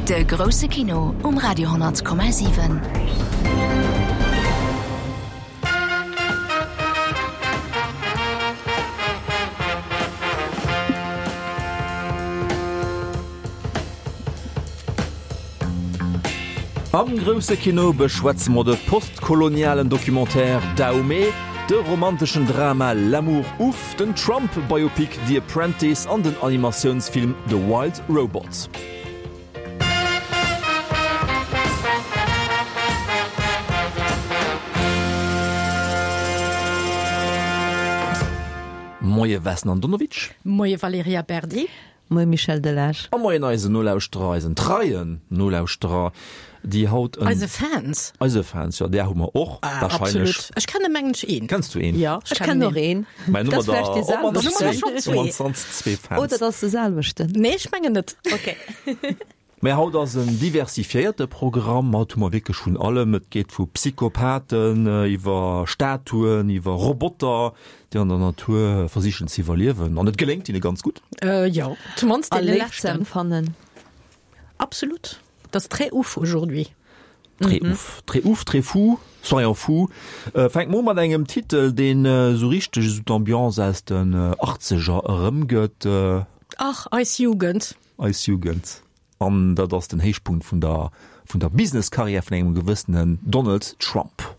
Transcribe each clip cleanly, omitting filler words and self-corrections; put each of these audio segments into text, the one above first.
De grousse Kino um Radio 10,7. Am grousse Kino beschwätze mer de postkolonialen Documentaire Dahomey, de romanteschen Drama L'amour ouf, den Trump-Biopic The Apprentice an den Animatiounsfilm The Wild Robot. Moie Vesna Andonovic. Moie Valerija Berdi. Moie Michel Delage. A moien eisen Nolauschterer, eisen treien Nolauschterer, déi haut en. Eise Fans. Eise Fans, jo, där hu mer och wahrscheinlech. Absolut. Ech kenne mengen ech een. Kenns du een? Jo, ech kennen och een. Mä Dat ass vläicht dee selwechten. Op d'mannst zwee Fans. Oder et ass de selwechten. Nee, ech mengen net. Ok. Mä haut ass en diversifiéierte Programm. Haut hu mer wierklech vun allem. Et geet vu Psychopathen iwwer Statuen, iwwer Roboter, déi an der Natur versichen ze iwwerliewen. An et geléngt hinne ganz gutt. Jo, zumannst A deene Léif ze leschten. empfannen. Absolut. Dat ass très ouf aujourd'hui. Très ouf, très ouf, très fou, soyons fous. Fänke mer u mat engem Titel, deen esou richteg esou d'Ambiance aus den Achtzeger erëmgëtt. Ach, eis Jugend. Eis Jugend. An dat ass den Héichpunkt vun der vun der Business-Karriär vun engem gewëssenen Donald Trump.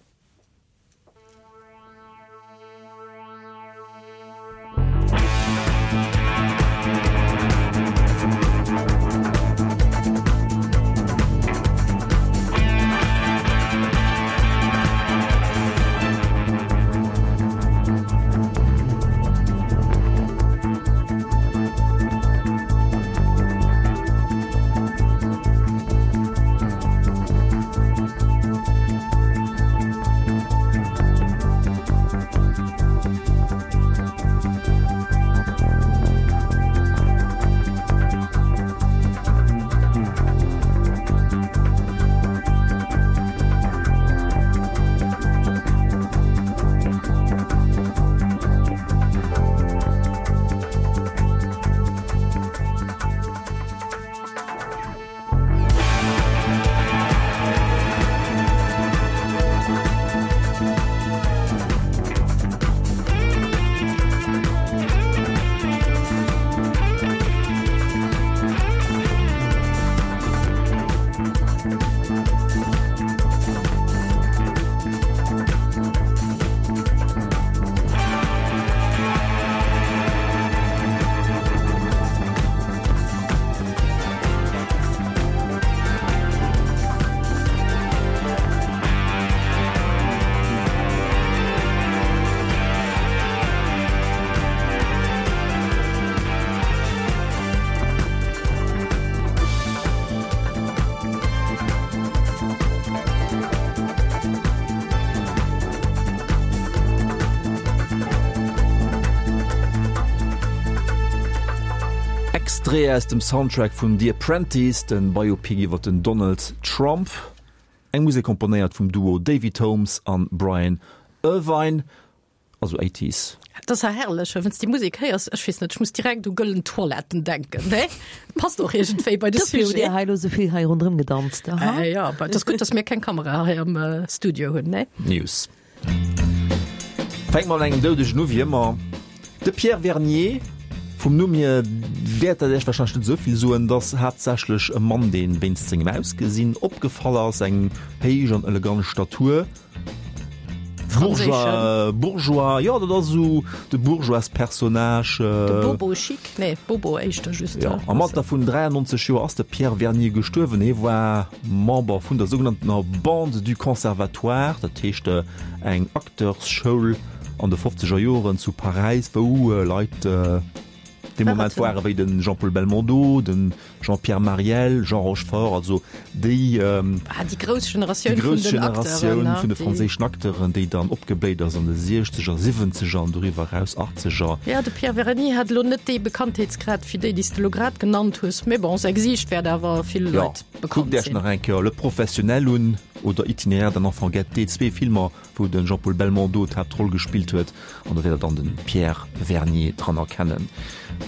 Extrait aus dem Soundtrack vun The Apprentice, den Biopic iwwer den Donald Trump. Eng Musek komponéiert vum Duo David Holmes an Brian Irvine. Also Eighties. Dat ass ja herrlech, wann s déi Musek héiers. Ech weess net, ech muss direkt u gëllen Toiletten denken, ne? Passt och iergendwéi bei de Dofir hutt Sujet. Dir hei elo souvill hei ronderëm gedanzt, aha. Äh, ja, et ass gutt, dass mir keng Kamera hei am Studio hunn, ne? News. Fänke mer mat engem Doudegen u, wéi ëmmer. De Pierre Vernier, vum Numm hier wäert dat Iech warscheinlech net esou vill soen, et ass haaptsächlech e Mann, dee wéinst sengem Ausgesinn opgefall ass, eng héich an elegant Statur. Bourgeois, Bourgeois, jo, dat ass esou de Bourgeoispersonnage. De Bobo chic, nee, Bobo éischter just. Jo, am Alter vun 93 Joer ass de Pierre Vernier gestuerwen. Hie war Member vun der sougenanntener Bande du Conservatoire, dat heescht eng Acteursschoul an de fofzeger Joren zu Paräis, wou Leit dee Moment ware wéi de Jean-Paul Belmondo, de Jean-Pierre Marielle, Jean Rochefort, also déi ah, déi grouss Generatioun, déi grouss Generatioun vun de franséischen Acteuren, déi dann opgebléit ass an de Siechzeger, Siwwenzeger an doriwwer eraus Achtzeger. Ja, de Pierre Verny hat elo net dee Bekanntheetsgrad wéi déi, déi s de elo grad genannt hues, mee bon, säi Gesiicht wäert awer ville Leit bekannt sinn. Kuckt Iech nach eng Kéier Le Professionnel un. oder Itinéraire d'un enfant gâté, zwee Filmer, wou de Jean-Paul Belmondo d'Haaptroll gespillt huet, an do wäert der dann de Pierre Vernier dran erkennen.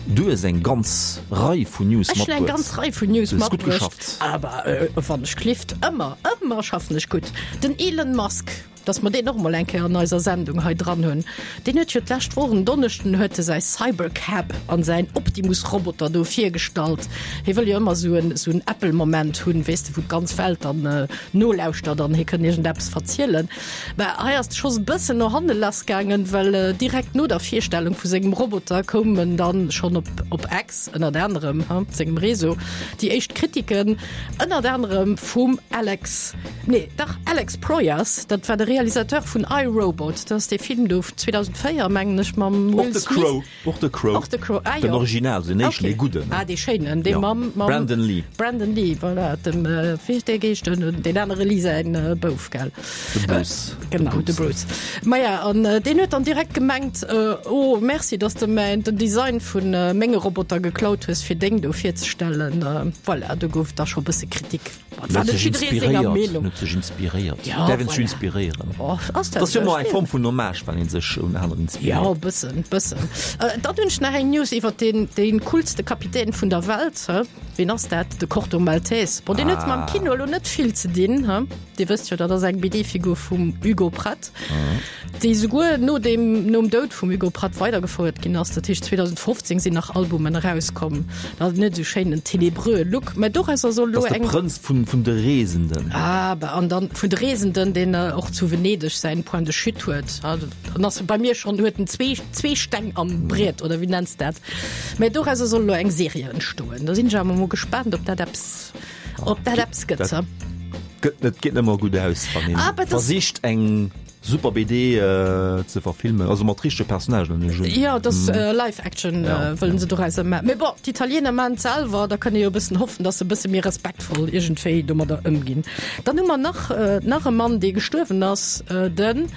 Du hues eng ganz Rei vun News Ech hunn eng matbruet. ganz Rei vun News Du hues gutt matbruecht. geschafft. Awer wann ech klift, ëmmer, ëmmer schaffen ech gutt. Den Elon Musk, dass mer deen och mol eng Kéier an eiser Sendung hei dran hunn, deen huet jo d'lescht Woch en Donneschden huet e säi Cybercab an säin Optimus-Roboter do virgestallt. Hie wëll jo ëmmer esou en, esou en Apple-Moment hunn, weess de, wou d'ganz Welt dann nolauschtert an hie kënn iergendeppes verzielen. Mä hei ass de Schoss e bëssen no hanne lassgaangen, well direkt no der Virstellung vu sengem Roboter koumen dann schonn op op X, ënnert anerem, sengem Réseau, déi éischt Kritiken, ënnert anerem vum Alex, nee dach Alex Proyas, dat war de Realisateur vun I, Robot, dat ass dee Film do vun 2004, mengen ech, mam Will Smith. Och de Crow. Och de Crow, ah jo. Den Original, den éischten, dee gudden. Ah, dee schéinen, dee mam, mam. Brandon Lee. Brandon Lee, voilà, dem, wéi heescht dee Geescht, deen anere Lee säin Bouf, gell? De Bruce. Genau, de Bruce. Maja, an deen huet dann direkt gemengt, Oh, merci, dass de mäin, den Design vu menge Roboter geklaut hues, fir deng do virzestellen. Voilà, do gouf da scho bësse Kritik. Huet sech inspiréiert, huet sech inspiréiert. Ja, Däerf een sech voilà. inspiréieren? Oh, ass dat Dat ass jo ëmmer eng schwiereg? Form vun Hommage, wann ee sech un aneren Ja, inspiréiert. e bëssen, bëssen. Äh, dann hunn ech nach eng News iwwer deen, deen coolste Kapitän vun der Welt, hä? Wien ass dat? De Corto Maltese. Bon, deen huet mam Ah. Kino elo net vill ze dinn, hä? Dir wësst jo, dat ass eng BD-Figur vum Hugo Pratt. Déi souguer no deem, nom Doud vum Hugo Pratt weidergefouert ginn ass. Dat heescht 2015 sinn nach Albumen erauskomm. Dat hat net esou schéinen ténébreux Look, mä dorausser soll elo Dat ass de eng. Prënz vun, vun de Reesenden. Ah, bah, an dann vun de Reesenden, deen och zu Venedeg säin Point de chute huet. Dann ass bei mir schonn, huet en zwee, zwee Steng am Briet, oder wéi nenns dat? Mä dorausser soll elo eng Serie entstoen. Do sinn ech awer mol gespaant, ob dat eppes, ob dat eppes gëtt. Dat gëtt net, geet net ëmmer gutt aus, wann een Ah, bah, das- versicht eng. Super BD ze verfilmen, also mat richtege Personnagen an ech. Jo, et ass Live Action wëllen se dorauser maachen. Mee bon, d'Italiener maachen et selwer, da kënne jo e bëssen hoffen, datt se e bësse méi respektvoll iergendwéi domadder ëmginn. Dann hu mer nach nach e Mann, dee gestuerwen ass, den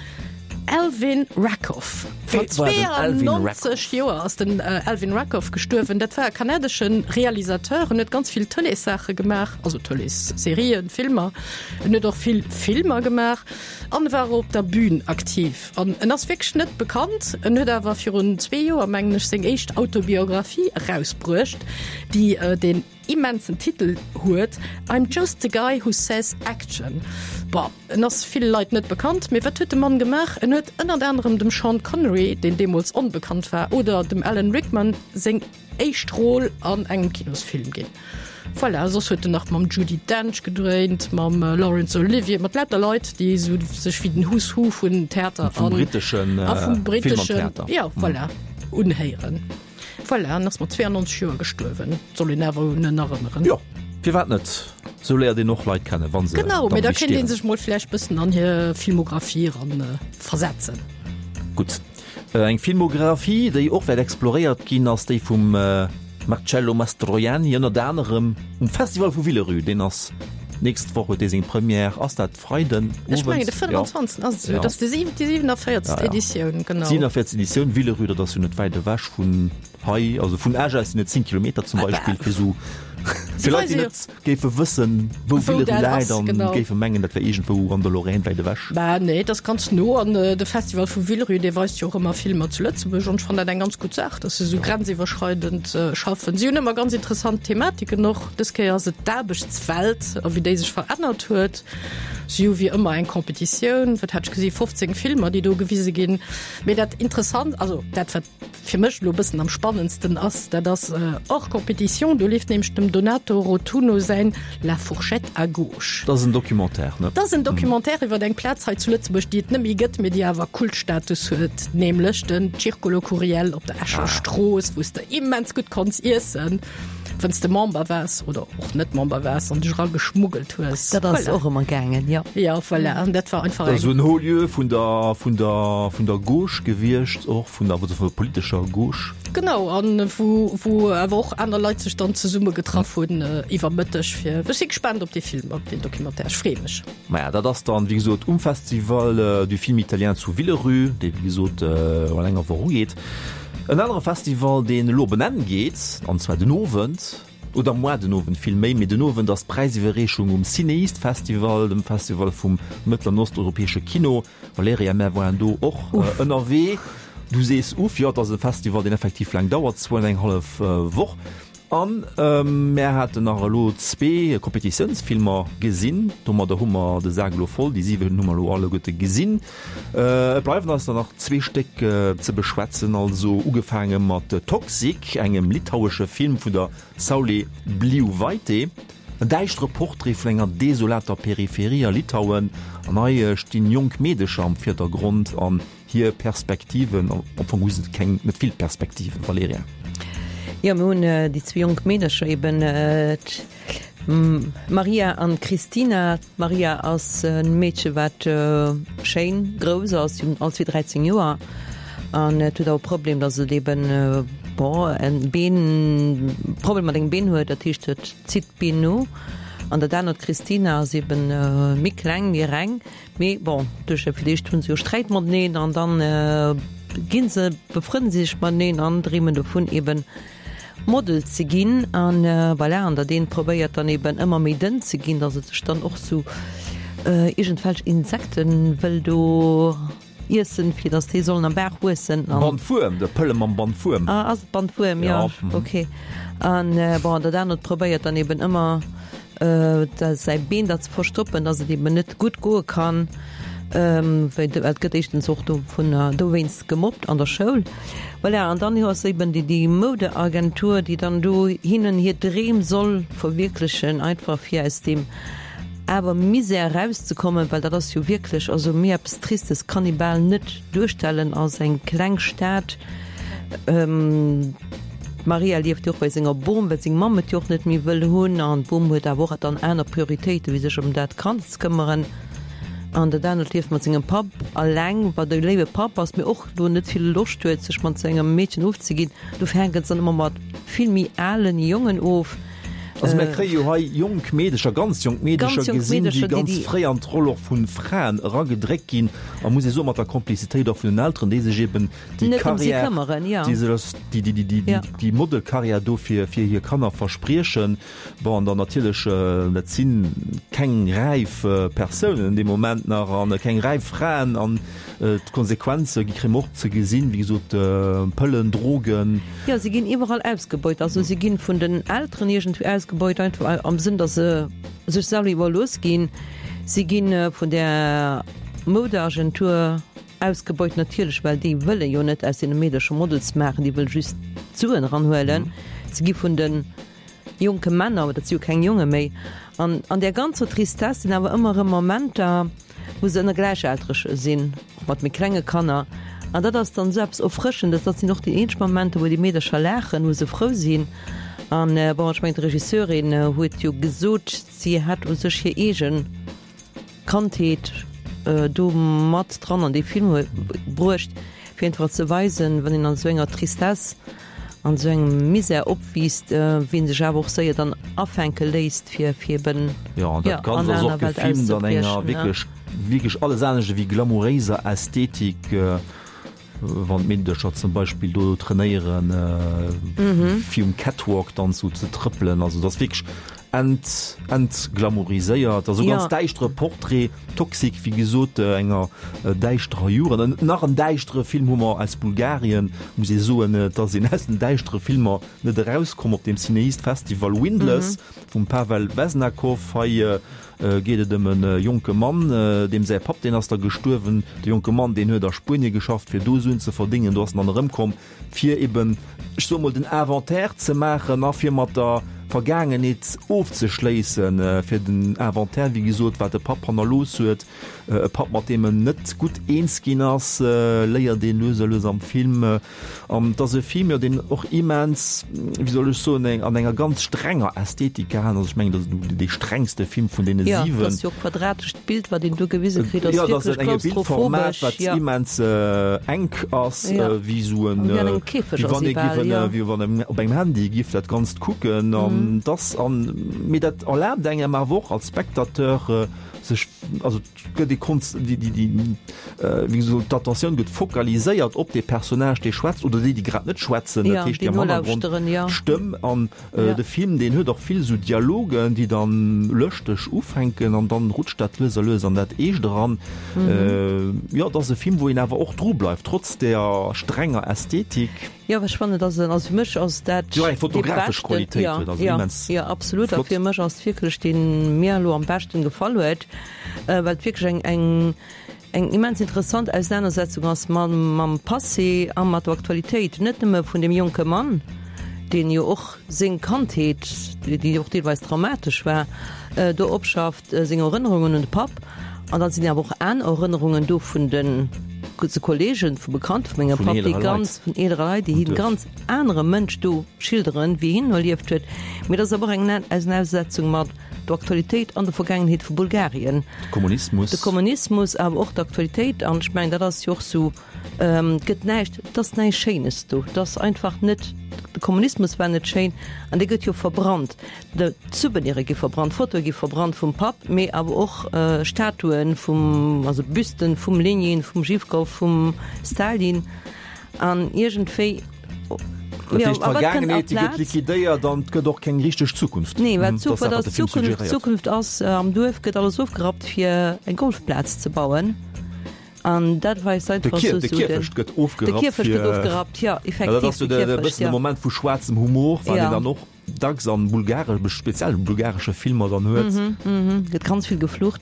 Alvin Rakoff. Mat 92 Joer ass den Alvin Rakoff gestuerwen. Dat war e kanadesche Realisateur, en huet ganz vill Tëleessaache gemaach, also Tëleesserien, Filmer. En huet och vill Filmer gemaach. An war op der Bühn aktiv. An en ass wierklech net bekannt. En huet awer virun zwee Joer, mengen ech, seng éischt Autobiographie erausbruecht, déi deen immensen Titel huet, I'm just the guy who says action. Bon, en ass ville Leit net bekannt, mee wat huet de Mann gemaach? En huet ënnert anerem dem Sean Connery, deen deemools onbekannt war, oder dem Alan Rickman seng Éischt Rôle an engem Kinosfilm ginn. Voilà, soss huet en nach mam Judi Dench gedréint, mam Laurence Olivier, mat lauter Leit, déi esou sech wéi den Who's Who vun Theater Vum an britteschen a vum Film an britteschen, Theater. ja, voilà, unhéieren. Voilà, en ass mat 92 Joer gestuerwen. Soll een awer un en erënneren. Jo, firwat net? Sou léiert een och Leit kennen, wa se Genau, mee dann da kéint ee stierwen. sech mol vläicht bëssen an hir Filmographie eran versetzen. Gutt. Eng Filmographie, déi och wäert exploréiert ginn, ass déi vum Marcello Mastroianni, ënnert anerem um Festival vu Villerupt. Deen ass d'nächst Woch, huet dee seng Première. Ass dat Freiden Ech owends? mengen de 25. ass et esou. Ja. Dat ass déi 47. Editioun, genau. 47. Editioun, Villerupt, dat ass jo net wäit ewech vun hei, also vun Esch aus sinn et 10 Kilometer zum Beispill, fir esou fir Leit, déi net géife wëssen, wou Villerupt läit an géife mengen, dat wär iergendwou an der Lorraine wäit ewech. Bah nee, dat ass ganz no an de Festival vu Villerupt, dee weist jo och ëmmer Filmer zu Lëtzebuerg an ech fannen dat eng ganz gutt Saach, dass se esou grenziwwerschreidend schaffen. Si hunn ëmmer ganz interessant Thematiken och. Dës Kéier ass et d'Aarbechtswelt a wéi déi sech verännert huet. Si hu wéi ëmmer eng Competitioun, wat hat ech gesi, 15 Filmer, déi do gewise ginn. Mee dat interessant, also dat wat fir mech elo e bëssen am spannendsten ass, dat ass hors compétition, do leeft nämlech dem Donato Rotunno säin La fourchette à gauche. Dat ass en Documentaire, ne? Dat ass en Documentaire iwwer eng Plaz hei zu Lëtzebuerg, déi et net méi gëtt, mee déi awer Kultstatus huet, nämlech den Circolo Curiel op der Escher Strooss, wou s de immens gutt konns iessen. Wann s de Member waars oder och net Member waars an dech erageschmuggelt hues. Dat ass och ëmmer gaangen, jo. Jo, voilà, an dat war einfach Dat eng. ass esou en Haut lieu vun der, vun der, vun der Gauche gewiescht, och vun der, also vun der politescher Gauche. Genau, an wou, wou awer och aner Leit sech dann zesumme getraff hunn iwwer Mëtteg fir. Ech si gespaant op dee Film, op deen Documentaire, ech freeë mech. Maja, dat ass dann, wéi gesot, um Festival du Film Italien zu Villerupt, dee wéi gesot an enger Woch ugeet. En anere Festival, deen elo op en Enn geet, an zwar den Owend. Oder moar den Owend vill méi, mee den Owend ass d'Präisiwwerreechung um CinEast Festival, dem Festival vum mëttel an osteuropäesche Kino. Valerija, mär waren do och ënnerwee. Du sees uff, jo, et ass e Festival, deen effektiv laang dauert, zwou an eng hallef Woch. An mär haten nach elo zwee Kompetitiounsfilmer gesinn. Domadder hu mer de Sak elo voll, déi 7 hu mer elo alleguerte gesinn. Et bleiwen eis der nach zwee Stéck ze beschwätzen, also ugefaange mat Toxic, engem litauesche Film vun der Saulė Bliuvaitė. En däischtere Portrait vun enger desolater Peripherie a Litauen. An hei stinn jonk Meedecher am Virdergrond an hir Perspektiven. Am Fong hu se keng, net vill Perspektiven, Valerija. Jo, mir hunn déi zwee jonk Meedercher eben, d'Maria an d'Christina. D'Maria ass e Meedche wat schéin grouss ass, si hunn all zwee 13 Joer an et huet awer e Problem, datt et eben, bon, en Been, Problem mat engem Been huet, dat heescht et zitt d'Been no. An dat anert, d'Christina, ass eben méi kleng, méi reng, mee bon, duerch fir d'éischt hu se jo Sträit mateneen an dann gi se, befrënne se sech mateneen an dreemen dovun eben Model ze ginn an voilà, an dat eent probéiert dann eben ëmmer méi dënn ze ginn, datt et sech dann och sou iergendwelch Insekten wëll do iessen, fir datt déi sollen am Baach wuessen an. Bandwuerm, de Pëlle mam Bandwuerm. Ah, ass et Bandwuerm, jo, ok. An bon, dat anert probéiert dann eben ëmmer säi Been da ze verstoppen, datt et eben net gutt goe kann, well et gëtt éischtens och dovunner dowéinst gemobbt an der Schoul. Voilà, an dann ass eben déi déi Moudeagentur, déi dann do hinnen hir Dreem soll verwierklechen, einfach fir aus deem awer Misär erauszekommen, well dat ass jo wierklech, also méi eppes Tristes kann ee bal net duerstellen als eng kleng Stad. D'Maria lieft jo och bei senger Bom, well seng Mamm et jo och net méi wëll hunn an d'Bom huet awer och dann aner Prioritéiten, wéi sech ëm dat Kand ze këmmeren. An dat anert lieft mat sengem Papp alleng, wat e léiwe Papp ass, mee och do net vill Loscht huet, sech mat sengem Meedchen ofzeginn. Dofir hänken se dann ëmmer mat vill méi alen Jongen of. Also mir kréie jo hei jonk Meedecher, ganz jonk Meedecher gesinn, déi ganz fréi an d'Roll och vu Fraen eragedréckt ginn a muss ee soen, mat der Komplizitéit och vun den Elteren, déi sech eben déi Karriär, déi déi déi déi Modelkarriär do fir fir hir Kanner verspriechen. Bon, an dann natierlech, dat si keng räif Persounen dee Moment nach an keng räif Fraen an d'Konsequenze gi kréie mer och ze gesinn, wéi gesot, Pëllen, Drogen. Jo, si ginn iwwerall ausgebeut. Also si ginn vun den Elteren iergendwéi ausgebeut, einfach am Sënn, datt se sech selwer iwwerlooss ginn. Si gi vun där Moudeagentur Ausgebeut natierlech, well déi wëlle jo net aus deene Meedercher Models maachen, déi wëlle just d'Suen eranhuelen. Se gi vun de jonke Männer, dat si jo keng Jonge méi, an an där ganzer Tristesse sinn awer ëmmer erëm Momenter, wou se ënner Gläichaltrege sinn, och mat méi klenge Kanner. An dat ass dann esou eppes Erfrëschendes. Dat sinn och déi eenzeg Momenter, wou déi Meedercher laachen, wou se frou sinn. An bon, ech mengen, d'Regisseurin huet jo gesot, si hätt u sech hir eegen Kandheet do mat dran an dee Film huet bruecht, fir einfach ze weisen, wann een an esou enger Tristesse, an esou engem Misär opwiisst, wéi een sech awer och séier dann afänke léisst, fir fir eben, Jo, an dat Ganzt ass och gefilmt an enger wierklech, wierklech alles anescht ewéi glamouréiser Ästhetik. Wann d'Meedercher zum Beispill do trainéieren, fir um Catwalk dann sou ze trëppelen, also dat ass wierklech ent, entglamouriséiert, also ganz däischtere Portrait, Toxic, wéi gesot, enger däischterer Jugend. An nach en däischtere Film hu mer aus Bulgarien, muss ee soen, et ass een aus den däischtere Filmer net erauskomm op deem Cineast Festival, Windless vum Pavel Vesnakov. Hei geet et ëm e jonke Mann, deem säi Papp, deen ass da gestuerwen. De jonke Mann, deen huet a Spuenie geschafft, fir do Suen ze verdéngen. Do ass en dann erëmkomm, fir eben, ech soe mol, den Inventaire ze maachen a fir mat der Vergaangenheet ofzeschléissen, fir den Inventaire, wéi gesot, wat de Papp hannerlooss huet, e Papp, mat deem en net gutt eens ginn ass, léiert een lues a lues am Film. An et ass e Film, jo, deen och immens, wéi soll ech soen, eng, an enger ganz strenger Ästhetik gehaen ass. Ech mengen, dat ass dee strengste Film vun deene 7. Jo, dat ass jo och quadratescht Bild, wat een do gewise kritt, ass wierklech klaustrophobesch. Jo, dat ass en enge Bildformat, wat immens enk ass, wéi esou en, wéi an engem Käfeg ass ee bal, jo. Wéi wann een op engem Handy giff dat Ganzt kucken. An. Dass an, mee dat erlaabt engem awer och als Spectateur sech, also et gëtt ee konz-, déi, déi, déi, wéi gesot, d'Attentioun gëtt focaliséiert op dee Personnage, dee schwätzt oder déi, déi grad net schwätzen, dat heescht, déi am Hannergrond d'Stëmm. An de Film, deen huet och vill esou Dialogen, déi dann lëschteg ufänken an dann rutscht dat lues a lues an dat Eescht eran. Jo, et ass e Film, wou een awer och dru bleift, trotz där strenger Ästhetik. Jo, ech fannen, dass en, also fir mech ass dat Jo, eng fotografesch Qualitéit huet, also immens flott. Jo, absolut, a fir mech ass et wierklech deen mir elo am beschten gefall huet, well et wierklech eng, eng, eng immens interessant Ausenanersetzung ass mam, mam Passé a mat der Aktualitéit, net nëmme vun deem jonke Mann, deen jo och seng Kandheet, déi och deelweis traumatesch war, do opschafft. Seng Erënnerungen un de Papp, an dann sinn awer och aner Erënnerungen do vun de Kollegen, vu Bekannte vu mengem Papp, déi ganz, vun eelere Leit, déi hien ganz anere Mënsch do schilderen, wéi hien erlieft huet. Mee dat ass awer och eng Ausenanersetzung mat der Aktualitéit an der Vergaangenheet vu Bulgarien. De Kommunismus. De Kommunismus, awer och d'Aktualitéit. An ech mengen, dat ass jo och sou, Et gëtt näischt, et ass näischt Schéines do. Et ass einfach net, de Kommunismus war net schéin an dee gëtt jo verbrannt. D'Souveniren gi verbrannt, Fotoe gi verbrannt vum Papp, mee awer och Statuen vum, also Büsten vum Lenin, vum Zhivkov, vum Stalin an iergendwéi. Dat heescht, d'Vergaangenheet, déi gëtt liquidéiert an et gëtt och keng richteg Zukunft. Nee, well d'Zukunft, d'Zukunft ass, am Duerf gëtt alles ofgerappt fir eng Golfplaz ze bauen. An dat weist einfach sou, de Kierfecht gëtt ofgerappt. De Kierfecht gëtt ofgerappt, jo, effektiv. Dat ass sou de bëssen de Moment vu schwaarzem Humor, wat een dann och dacks an bulgaresch, speziell bulgaresche Filmer dann huet. Gëtt ganz vill geflucht.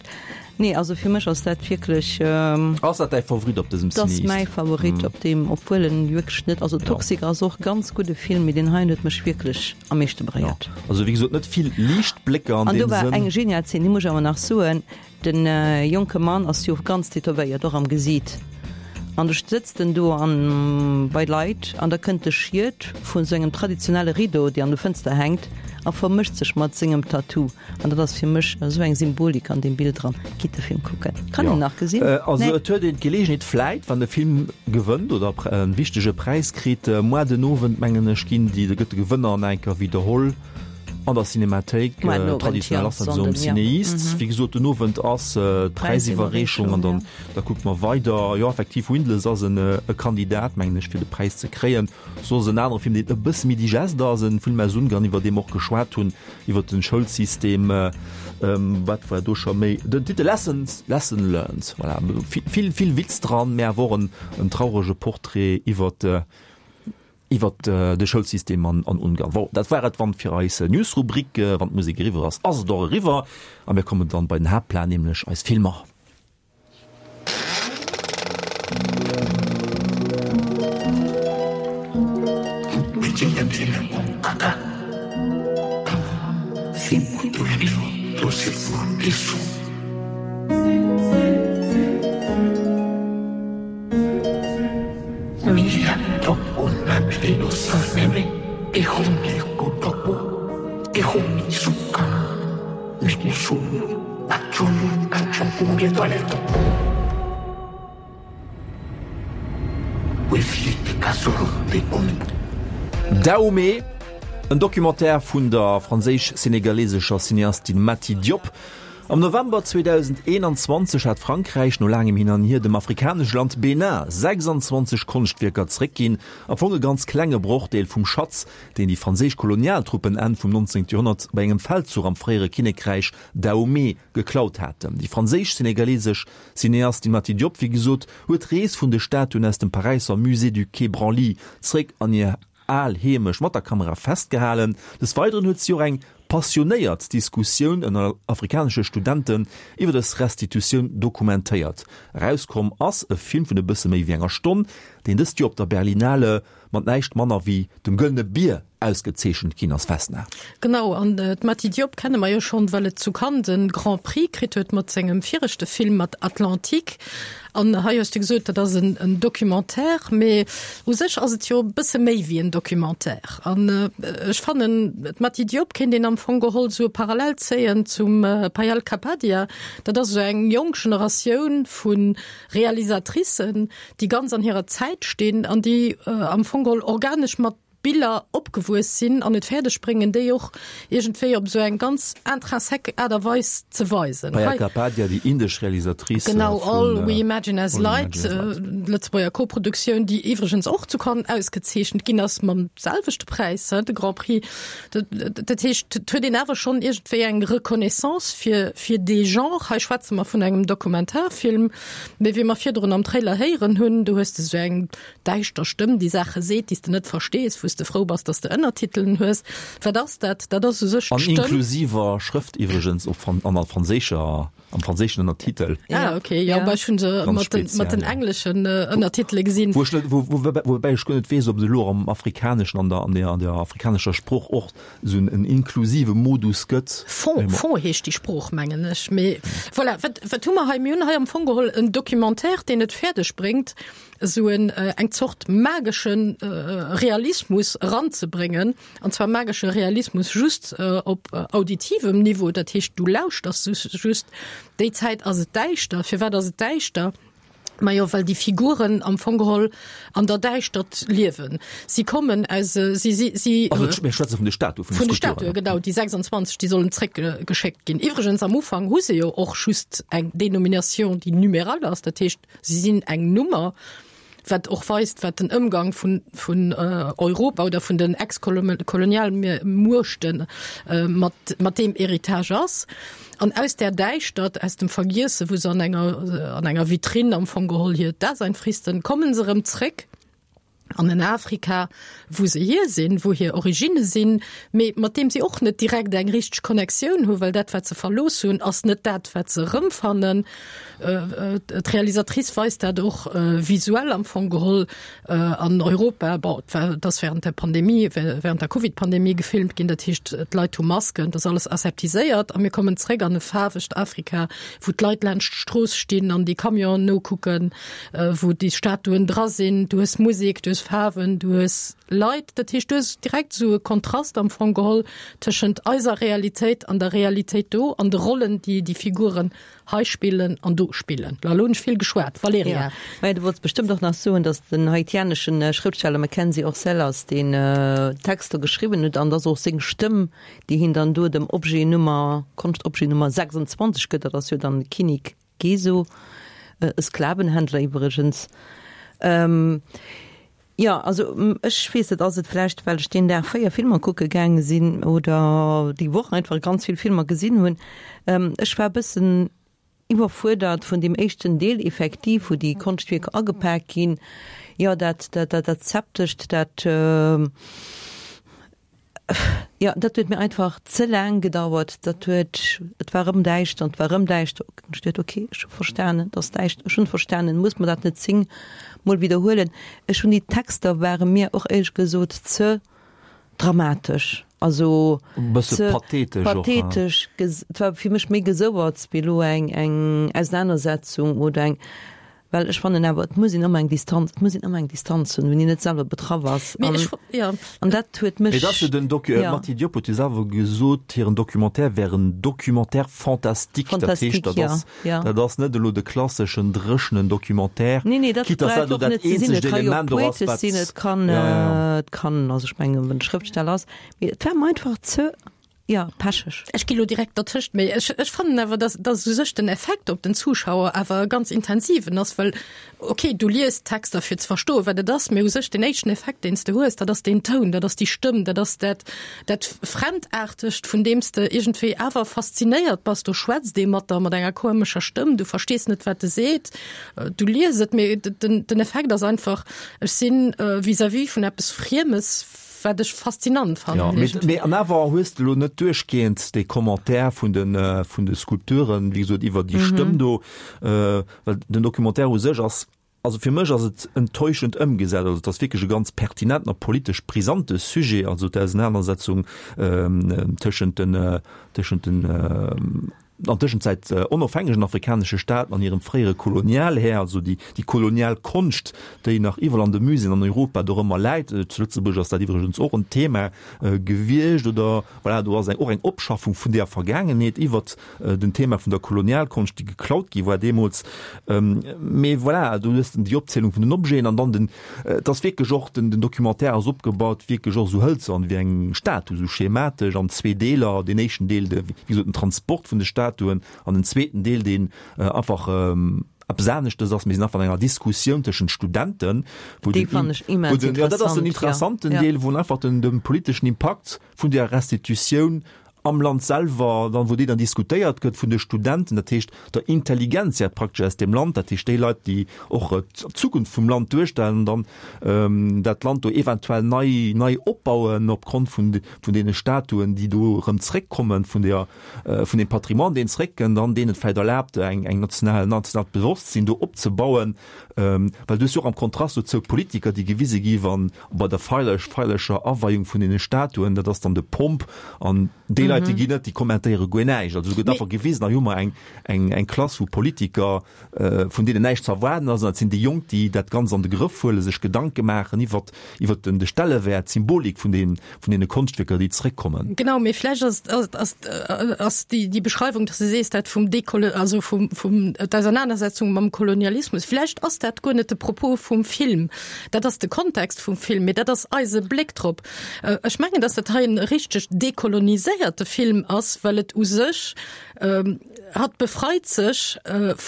Nee, also fir mech ass dat wierklech. Ass dat däi Favorit op dësem Cineast? Dat ass mäi Favorit op deem, obwuel en wierklech net, also Toxic ass och ganz gudde Film, mee deen heien huet mech wierklech am meeschte beréiert. Also wéi gesot, net vill Liichtblécker an deem Sënn. An do war eng genial Zeen, déi muss ech awer nach soen. Den jonke Mann ass jo ganz tätowéiert, och am Gesiit. An du sëtzt en do an bei Leit an da kënnt de Schiet vun sou engem traditionelle Rideau, dee an de Fënster hänkt, a vermëscht sech mat sengem Tattoo. An dat ass fir mech esou eng Symbolik an deem Bild dran. Gitt de Film kucken. Kann een nach gesinn? Also et huet een d'Geleegenheet vläit, wann de Film gewënnt oder e wichtege Präis kritt, moar den Owend mengen ech ginn déi, gëtt de Gewënner nach eng Kéier widderholl. An der Cinemathéik, traditionell ass dat esou am CinEast. Wéi gesot, den Owend ass d'Präisiwwerreechung an dann da kucke mer weider. Jo, effektiv, Windless ass en e Kandidat, mengen ech, fir de Präis ze kréien. Soss en anere Film, deen e bësse méi digest ass, e Film aus Ungarn, iwwer dee mer och geschwat hunn, iwwer de Schoulsystem. Wat war do scho méi? Den Titel Lessons, Lesson Learned, voilà. Vill, vill Witz dran, mä awer och en traurege Portrait iwwer Iwwert de Schoulsystem an Ungarn. Bon, dat war et wann fir eis Newsrubrik. Wann d'Musek eriwwer ass, ass et och eriwwer a mir kommen dann bei den Haaptplan, nämlech eis Filmer. Dahomey, en Documentaire vun der franséisch-senegalesescher Cineastin Mati Diop. Am November 2021 hat Frankräich no laangem Hin an Hier dem afrikanesche Land Benin 26 Konschtwierker zeréckginn, am Fong e ganz klenge Brochdeel vum Schatz, deen déi franséisch Kolonialtruppen Enn vum 19. Joerhonnert bei engem Feldzuch am fréiere Kinnekräich Dahomey geklaut haten. Déi franséisch-senegalesesch Cineastin Mati Diop, wéi gesot, huet d'Rees vun de Statuen aus dem Paräisser Musée du Quai Branly zeréck an hir al Heemecht mat der Kamera festgehalen. Des Weideren huet si och eng passionéiert Diskussioun ënner afrikanesche Studenten iwwer dës Restitutioun dokumentéiert. Erauskomm ass e Film vun e bësse méi wéi enger Stonn, deen dëst Joer op der Berlinale mat näischt manner wéi dem Gëllene Bier ausgezeechent ginn ass. Vesna. Genau, an d'Mati Diop kenne mer jo schonn, well et zu Cannes de Grand Prix kritt huet mat sengem viregte Film, mat Atlantique. An hei hues de gesot, dat ass en Documentaire, mee u sech ass et jo e bësse méi wéi en Documentaire. An ech fannen, d'Mati Diop kéint een am Fong geholl esou e Parallel zéien zum Payal Kapadia. Dat ass esou eng jonk Generatioun vu Realisatricen, déi ganz an hirer Zäit stinn an déi am Fong geholl organesch mat. Biller opgewuess sinn an et fäerdeg bréngen, déi och iergendwéi op esou eng ganz intrinsèque Aart a Weis ze weisen. Payal Kapadia, déi indesch Realisatrice Genau, All We Imagine As Light, Lëtzebuerger Koproduktioun, déi iwwregens och zu Cannes ausgezeechent ginn ass mam selwechte Präis, de Grand Prix. Dat heescht, et huet een awer schonn iergendwéi eng Reconnaissance fir, fir dee Genre. Hei schwätze mer vun engem Dokumentarfilm, mee wéi mer virdrun am Trailer héieren hunn, do hues de esou eng däischter Stëmm, déi Saache seet, déi s de net verstees, wou s de frou bass, dass de Ënnertitelen hues. Wat ass dat? Dat ass u sech d'Stëmm. An inklusiver Schrëft iwwregens, op an an der franséischer, am franséischen Ënnertitel. Ah, okay, jo, bah, ech hunn se mat den, mat den engleschen Ënnertitele gesinn. Wou ech net, wou, wou, woubäi ech guer net weess, ob et elo am Afrikaneschen, an der, an der, an der afrikanescher Sprooch och esou en inklusive Modus gëtt. Fon, Fon heescht déi Sprooch, mengen ech. Mee voilà, wat, wat hu mer hei? Mir hunn hei am Fong geholl en Documentaire, deen et fäerdeg bréngt, esou en eng Zort magesche Realismus eranzebréngen, an zwar magesche Realismus just op auditivem Niveau, dat heescht du lauschters just, déi Zäit ass et däischter. Firwat ass et däischter? Majo well déi Figuren am Fong geholl an der Däischtert liewen. Si kommen aus, si si si. Also mir schwätze vun de Statue, vun de Statuen, genau, déi 26, déi sollen zréckgeschéckt ginn. Iwwregens am Ufank hu se jo och just eng Dénomination, déi numéral ass, dat heescht, Si sinn eng Nummer, wat och weist, wat den Ëmgang vun, vun Europa oder vun den Ex-Kolonialmuechte mat, mat deem Héritage ass. An aus där Däischtert, aus dem Vergiesse, wou se an enger, an enger Vitrinn am Fong geholl hiert Dasein fristen, komme se erëm zréck. an en Afrika, wou se hier sinn, wou hir Originne sinn, mee mat deem si och net direkt eng richteg Connectioun hunn, well dat, wat se verlooss hunn, ass net dat, wat se erëmfannen. D'Realisatrice weist dat och visuell am Fong geholl an Europa. Bon, et war, et ass während der Pandemie, während der Covid-Pandemie gefilmt ginn, dat heescht, d'Leit hu Masken, et ass alles aseptiséiert a mir kommen zréck an e faarwegt Afrika, wou d'Leit laanscht d'Strooss stinn an déi Camionen nokucken. wou déi Statuen dra sinn, du hues Musek, du hues Faarwen, du hues Leit, dat heescht du hues direkt esou e Kontrast am Fong geholl tëschent eiser Realitéit an der Realitéit do an de Rollen, déi déi Figuren hei spillen an do spillen. Lo hunn ech vill geschwat, Valerija. Jo, mä du wollts bestëmmt och nach soen, datt den haitianeschen Schrëftsteller Mackenzie Orcel ass, deen d'Texter geschriwwen huet an datt och seng Stëmm, déi hien dann do dem Objet Nummer, Konschtobjet Nummer 26 gëtt, dat ass jo dann de Kinnek Geso, e Sklavenhändler iwwregens. Jo, also ech weess net, ass et vläicht, well ech deen Dag 4 Filmer kucke gaange sinn oder déi Woch einfach ganz vill Filmer gesinn hunn. Ech war e bëssen iwwerfuerdert vun deem éischten Deel effektiv, wou déi Konschtwierker agepak ginn. Jo, dat, dat, dat Zeptescht, dat. Jo, dat huet mir einfach ze laang gedauert. Dat huet, et war erëm däischter an et war erëm däischter. Ech duet, ok, ech hu verstanen, et ass däischter, ech hunn verstanen, muss mer dat net 10 mol widderhuelen. Ech hunn déi Texter ware mir och éierlech gesot ze dramatesch, also E bësse ze pathetesch och, ha? pathetesch. Et war fir mech méi Gesouerts wéi elo eng eng Ausenanersetzung oder eng. Well ech fannen awer, et muss een ëmmer eng Distanz, et muss een ëmmer eng Distanz hunn, wann een net selwer betraff ass. Mee ech, jo. An dat huet mech, Mee et ass jo den Docu, jo. D'Mati Diop huet jo selwer gesot, hiren Documentaire wär en Documentaire fantastique. Dat heescht, Fantastique, dat jo, ass, jo. dat ass net elo de klasseschen dréchenen Documentaire, Nee, nee, dat quitte dass brauch dat elo och dat net ze sinn. eenzegt Et ka jo Element och ass, poetesch wat, sinn, et kann, jo, jo, jo. et kann, also ech mengen, wann e Schrëftsteller ass, mee et war mer einfach ze, Jo, pecheg. Ech gi lo direkt dertëscht, mee ech, ech fannen awer, dass, dass u sech den Effekt op den Zuschauer awer e ganz intensiven ass, well okay, du liest Texter fir ze verstoen, wat et ass, mee u sech den éischten Effekt, deen s de hues, dat ass deen Toun, dat ass déi Stëmm, dat ass dat, dat Fremdaartegt, vun deem s de iergendwéi awer faszinéiert bass. Do schwätzt ee mat der, mat enger komescher Stëmm, du verstees net, wat e seet, du lies et, mee den, den Effekt ass einfach, ech sinn vis-à-vis vun eppes Friemes, Wat ech faszinant fannen. Ja, mee, mee an awer hues de lo net duerchgehend dee Commentaire vun den, vun de Skulpturen, wéi gesot, iwwer déi Stëmm do, well den Documentaire u sech ass, also fir mech ass et enttäuschend ëmgesat. Also et ass wierklech e ganz pertinenten a politesch brisante Sujet, also d'Ausenanersetzung tëschent den, tëschent den. An Tëschenzäit onofhängegen afrikanesche Staaten an hirem fréiere Kolonialhär, also déi déi kolonial Konscht, déi nach iwwerall an de Muséeën an Europa dorëmmer läit. Zu Lëtzebuerg ass dat iwwregens och en Thema gewiescht oder voilà, do ass eng och eng Opschaffung vun där Vergaangenheet iwwert den Thema vun der Kolonialkonscht, déi geklaut gi war deemools. Mee voilà, do hues de déi Opzielung vun den Objeten an dann den Et ass wierklech och, den Documentaire ass opgebaut wierklech och esou hëlzern wéi eng Statu, esou schematesch an zwee Deeler. Deen éischten Deel, de, wéi gesot, den Transport vun de Statuen an den zweeten Deel, deen einfach eppes aneschtes ass. Mir sinn einfach an enger Diskussioun tëschent Studenten, wou Dee fannen ech immens interessant, jo. Dat ass den interessanten Deel, wou einfach den, de politeschen Impakt vun där Restitutioun am Land selwer dann, wou déi dann diskutéiert gëtt vun de Studenten, dat heescht der Intelligentsia praktesch aus deem Land, dat heescht déi Leit, déi och d'Zukunft vum Land duerstellen an dann dat Land do eventuell nei, nei opbauen opgrond vun, vun deene Statuen, déi do erëm zréckkommen, vun der, vun deem Patrimoine, deen zréckkënnt an deen et vläicht erlaabt, eng, eng national, en nationaalt Bewosstsinn do opzebauen. Well du hues jo och am Kontrast dozou d'Politiker, déi gewise gi wann bei der feierlech, feierlecher Aweiung vun deene Statuen, dat ass dann de Pomp, an déi Leit, déi ginn net, déi kommentéiere guer näischt. Also do gëtt einfach gewisen, hei hu mer eng, eng, eng Klass vu Politiker, vun deenen näischt ze erwaarden ass, an dat sinn déi Jonk, déi dat Ganzt an de Grëff huelen, sech Gedanke maachen iwwert, iwwert den, de Stellewäert, d'Symbolik vun deenen, vun deene Konschtwierker, déi zréckkommen. Genau, mee vläicht ass, ass, ass, ass déi, déi Beschreiwung, dass de sees, dat vum Dekolo-, also vum, vum, d'Ausernanersetzung mam Kolonialismus, vläicht ass dat guer net de Propos vum Film. Dat ass de Kontext vum Film, mee dat ass eise Bléck drop. Ech mengen, dass dat hei en richteg dekoloniséierte Film ass, well et u sech, hatt befreit sech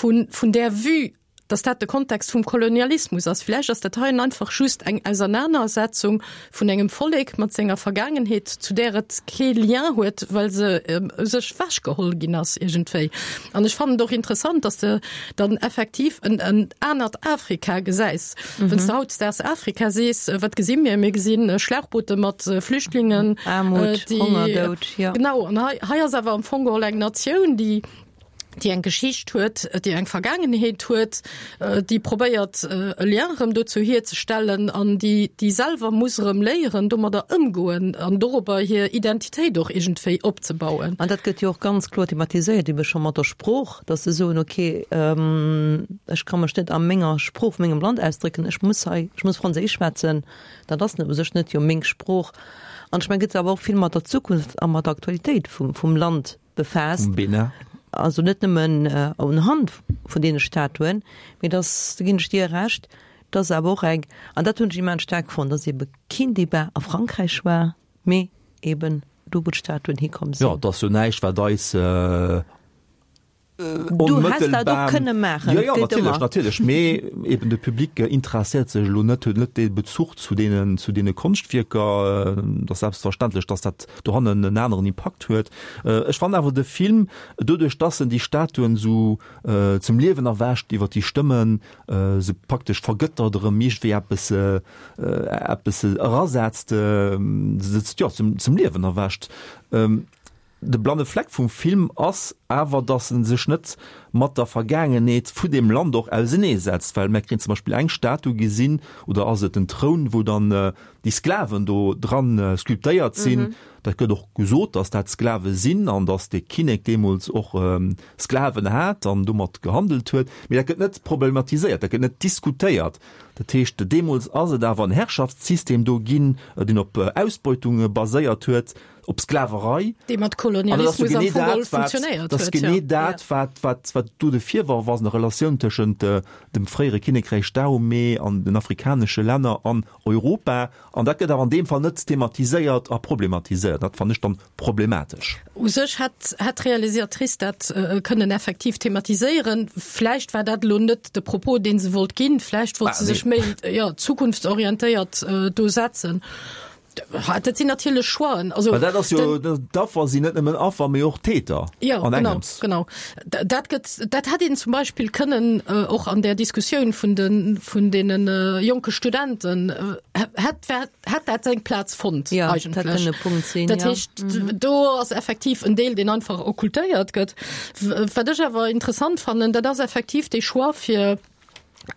vun, vun där Vue, dass dat de Kontext vum Kolonialismus ass. Vläicht ass dat heien einfach just eng Ausernanersetzung vun engem Vollek mat senger Vergaangenheet, zu där et kee Lien huet, well se u sech wechgeholl ginn ass iergendwéi. An ech fannen et och interessant, dass de dann effektiv en en anert Afrika gesäis. Wann s de hautdesdaags Afrika sees, wat gesi mir? Mir gesi Schlauchboote mat Flüchtlingen, Aarmut, Honger, Doud, jo. Genau, an hei hei ass awer am Fong geholl eng Natioun, déi déi eng Geschicht huet, déi eng Vergaangenheet huet, déi probéiert e Lien erëm dozou hierzestellen an déi déi selwer muss erëm léieren domadder ëmgoen an dorobber hir Identitéit och iergendwéi opzebauen. An dat gëtt jo och ganz kloer thematiséiert, ebe scho mat der Sprooch, datt se soen, okay, ech ka mech net a menger Sprooch vu mengem Land ausdrécken, ech muss hei, ech muss Franséisch schwätzen, dat ass u sech net jo meng Sprooch. An ech mengen, gëtt awer och vill mat der Zukunft a mat der Aktualitéit vum vum Land befaasst. Vum Bénin. Also net nëmmen unhand vun deene Statuen, mee dass, do ginn ech dir Recht, dass awer och eng, an dat hunn ech immens staark fonnt, dass eebe keen Débat a Frankräich war, mee eeben do, wou d'Statuen hikomm sinn. Jo, et ass jo näischt, wat eis Du häss dat och kënne maachen. Jo, jo, natierlech, natierlech. Mee eben de Public interesséiert sech elo net, huet net dee Bezuch zu deenen, zu deene Konschtwierker. Et ass selbstverständlech, dass dat dohannen en aneren Impakt huet. Ech fannen awer de Film, doduerch dass en déi Statuen esou zum Liewen erwächt iwwer déi Stëmmen, se praktesch vergëttert erëm iergendwéi eppes, eppes erasetzt, se, jo, zum, zum Liewen erwächt. De blanne Fleck vum Film ass awer, datt en sech net mat der Vergaangenheet vu deem Land och ausenee setzt, well mär kréien zum Beispill eng Statu gesinn, oder ass et en Troun, wou dann déi Sklaven do dran sculptéiert sinn. Dat gëtt och gesot, datt dat Sklave sinn an datt dee Kinnek deemools och Sklaven hat an domat gehandelt huet, mee dat gëtt net problematiséiert, dat gëtt net diskutéiert. Dat heescht, deemools ass et awer en Herrschaftssystem do ginn, deen op Ausbeutung baséiert huet. op Sklaverei. Déi mat Kolonialismus am Fong geholl funktionéiert huet. Dat ass genee dat, wat, wat, wat do de Virworf ass an der Relatioun tëschent dem fréiere Kinnekräich Dahomey an den afrikanesche Länner an Europa. An dat gëtt awer an deem Fall net thematiséiert a problematiséiert. Dat fannen ech dann problematesch. U sech hätt, hätt d'Realisatrice dat kënnen effektiv thematiséieren. Vläicht war dat elo net de Propos, dee se wollt ginn. Vläicht wollt se sech méi, jo, zukunftsorientéiert do setzen. Dat sinn natierlech Choixen. Also, dat ass jo, d'Affer sinn net nëmmen Affer, mee och Täter. Ja, an genau, engems. genau. Dat gëtt, dat hätt een zum Beispill kënnen äh, och an der Diskussioun vun den, vun deenen äh, jonke Studenten, äh, hätt, hätt dat seng Plaz fonnt ja, eigentlech. Dat kënne Punkt sinn. Dat ja. heescht, mhm. do ass effektiv en Deel, deen einfach okkultéiert gëtt. Wat ech awer interessant fannen, dat ass effektiv dee Choix fir.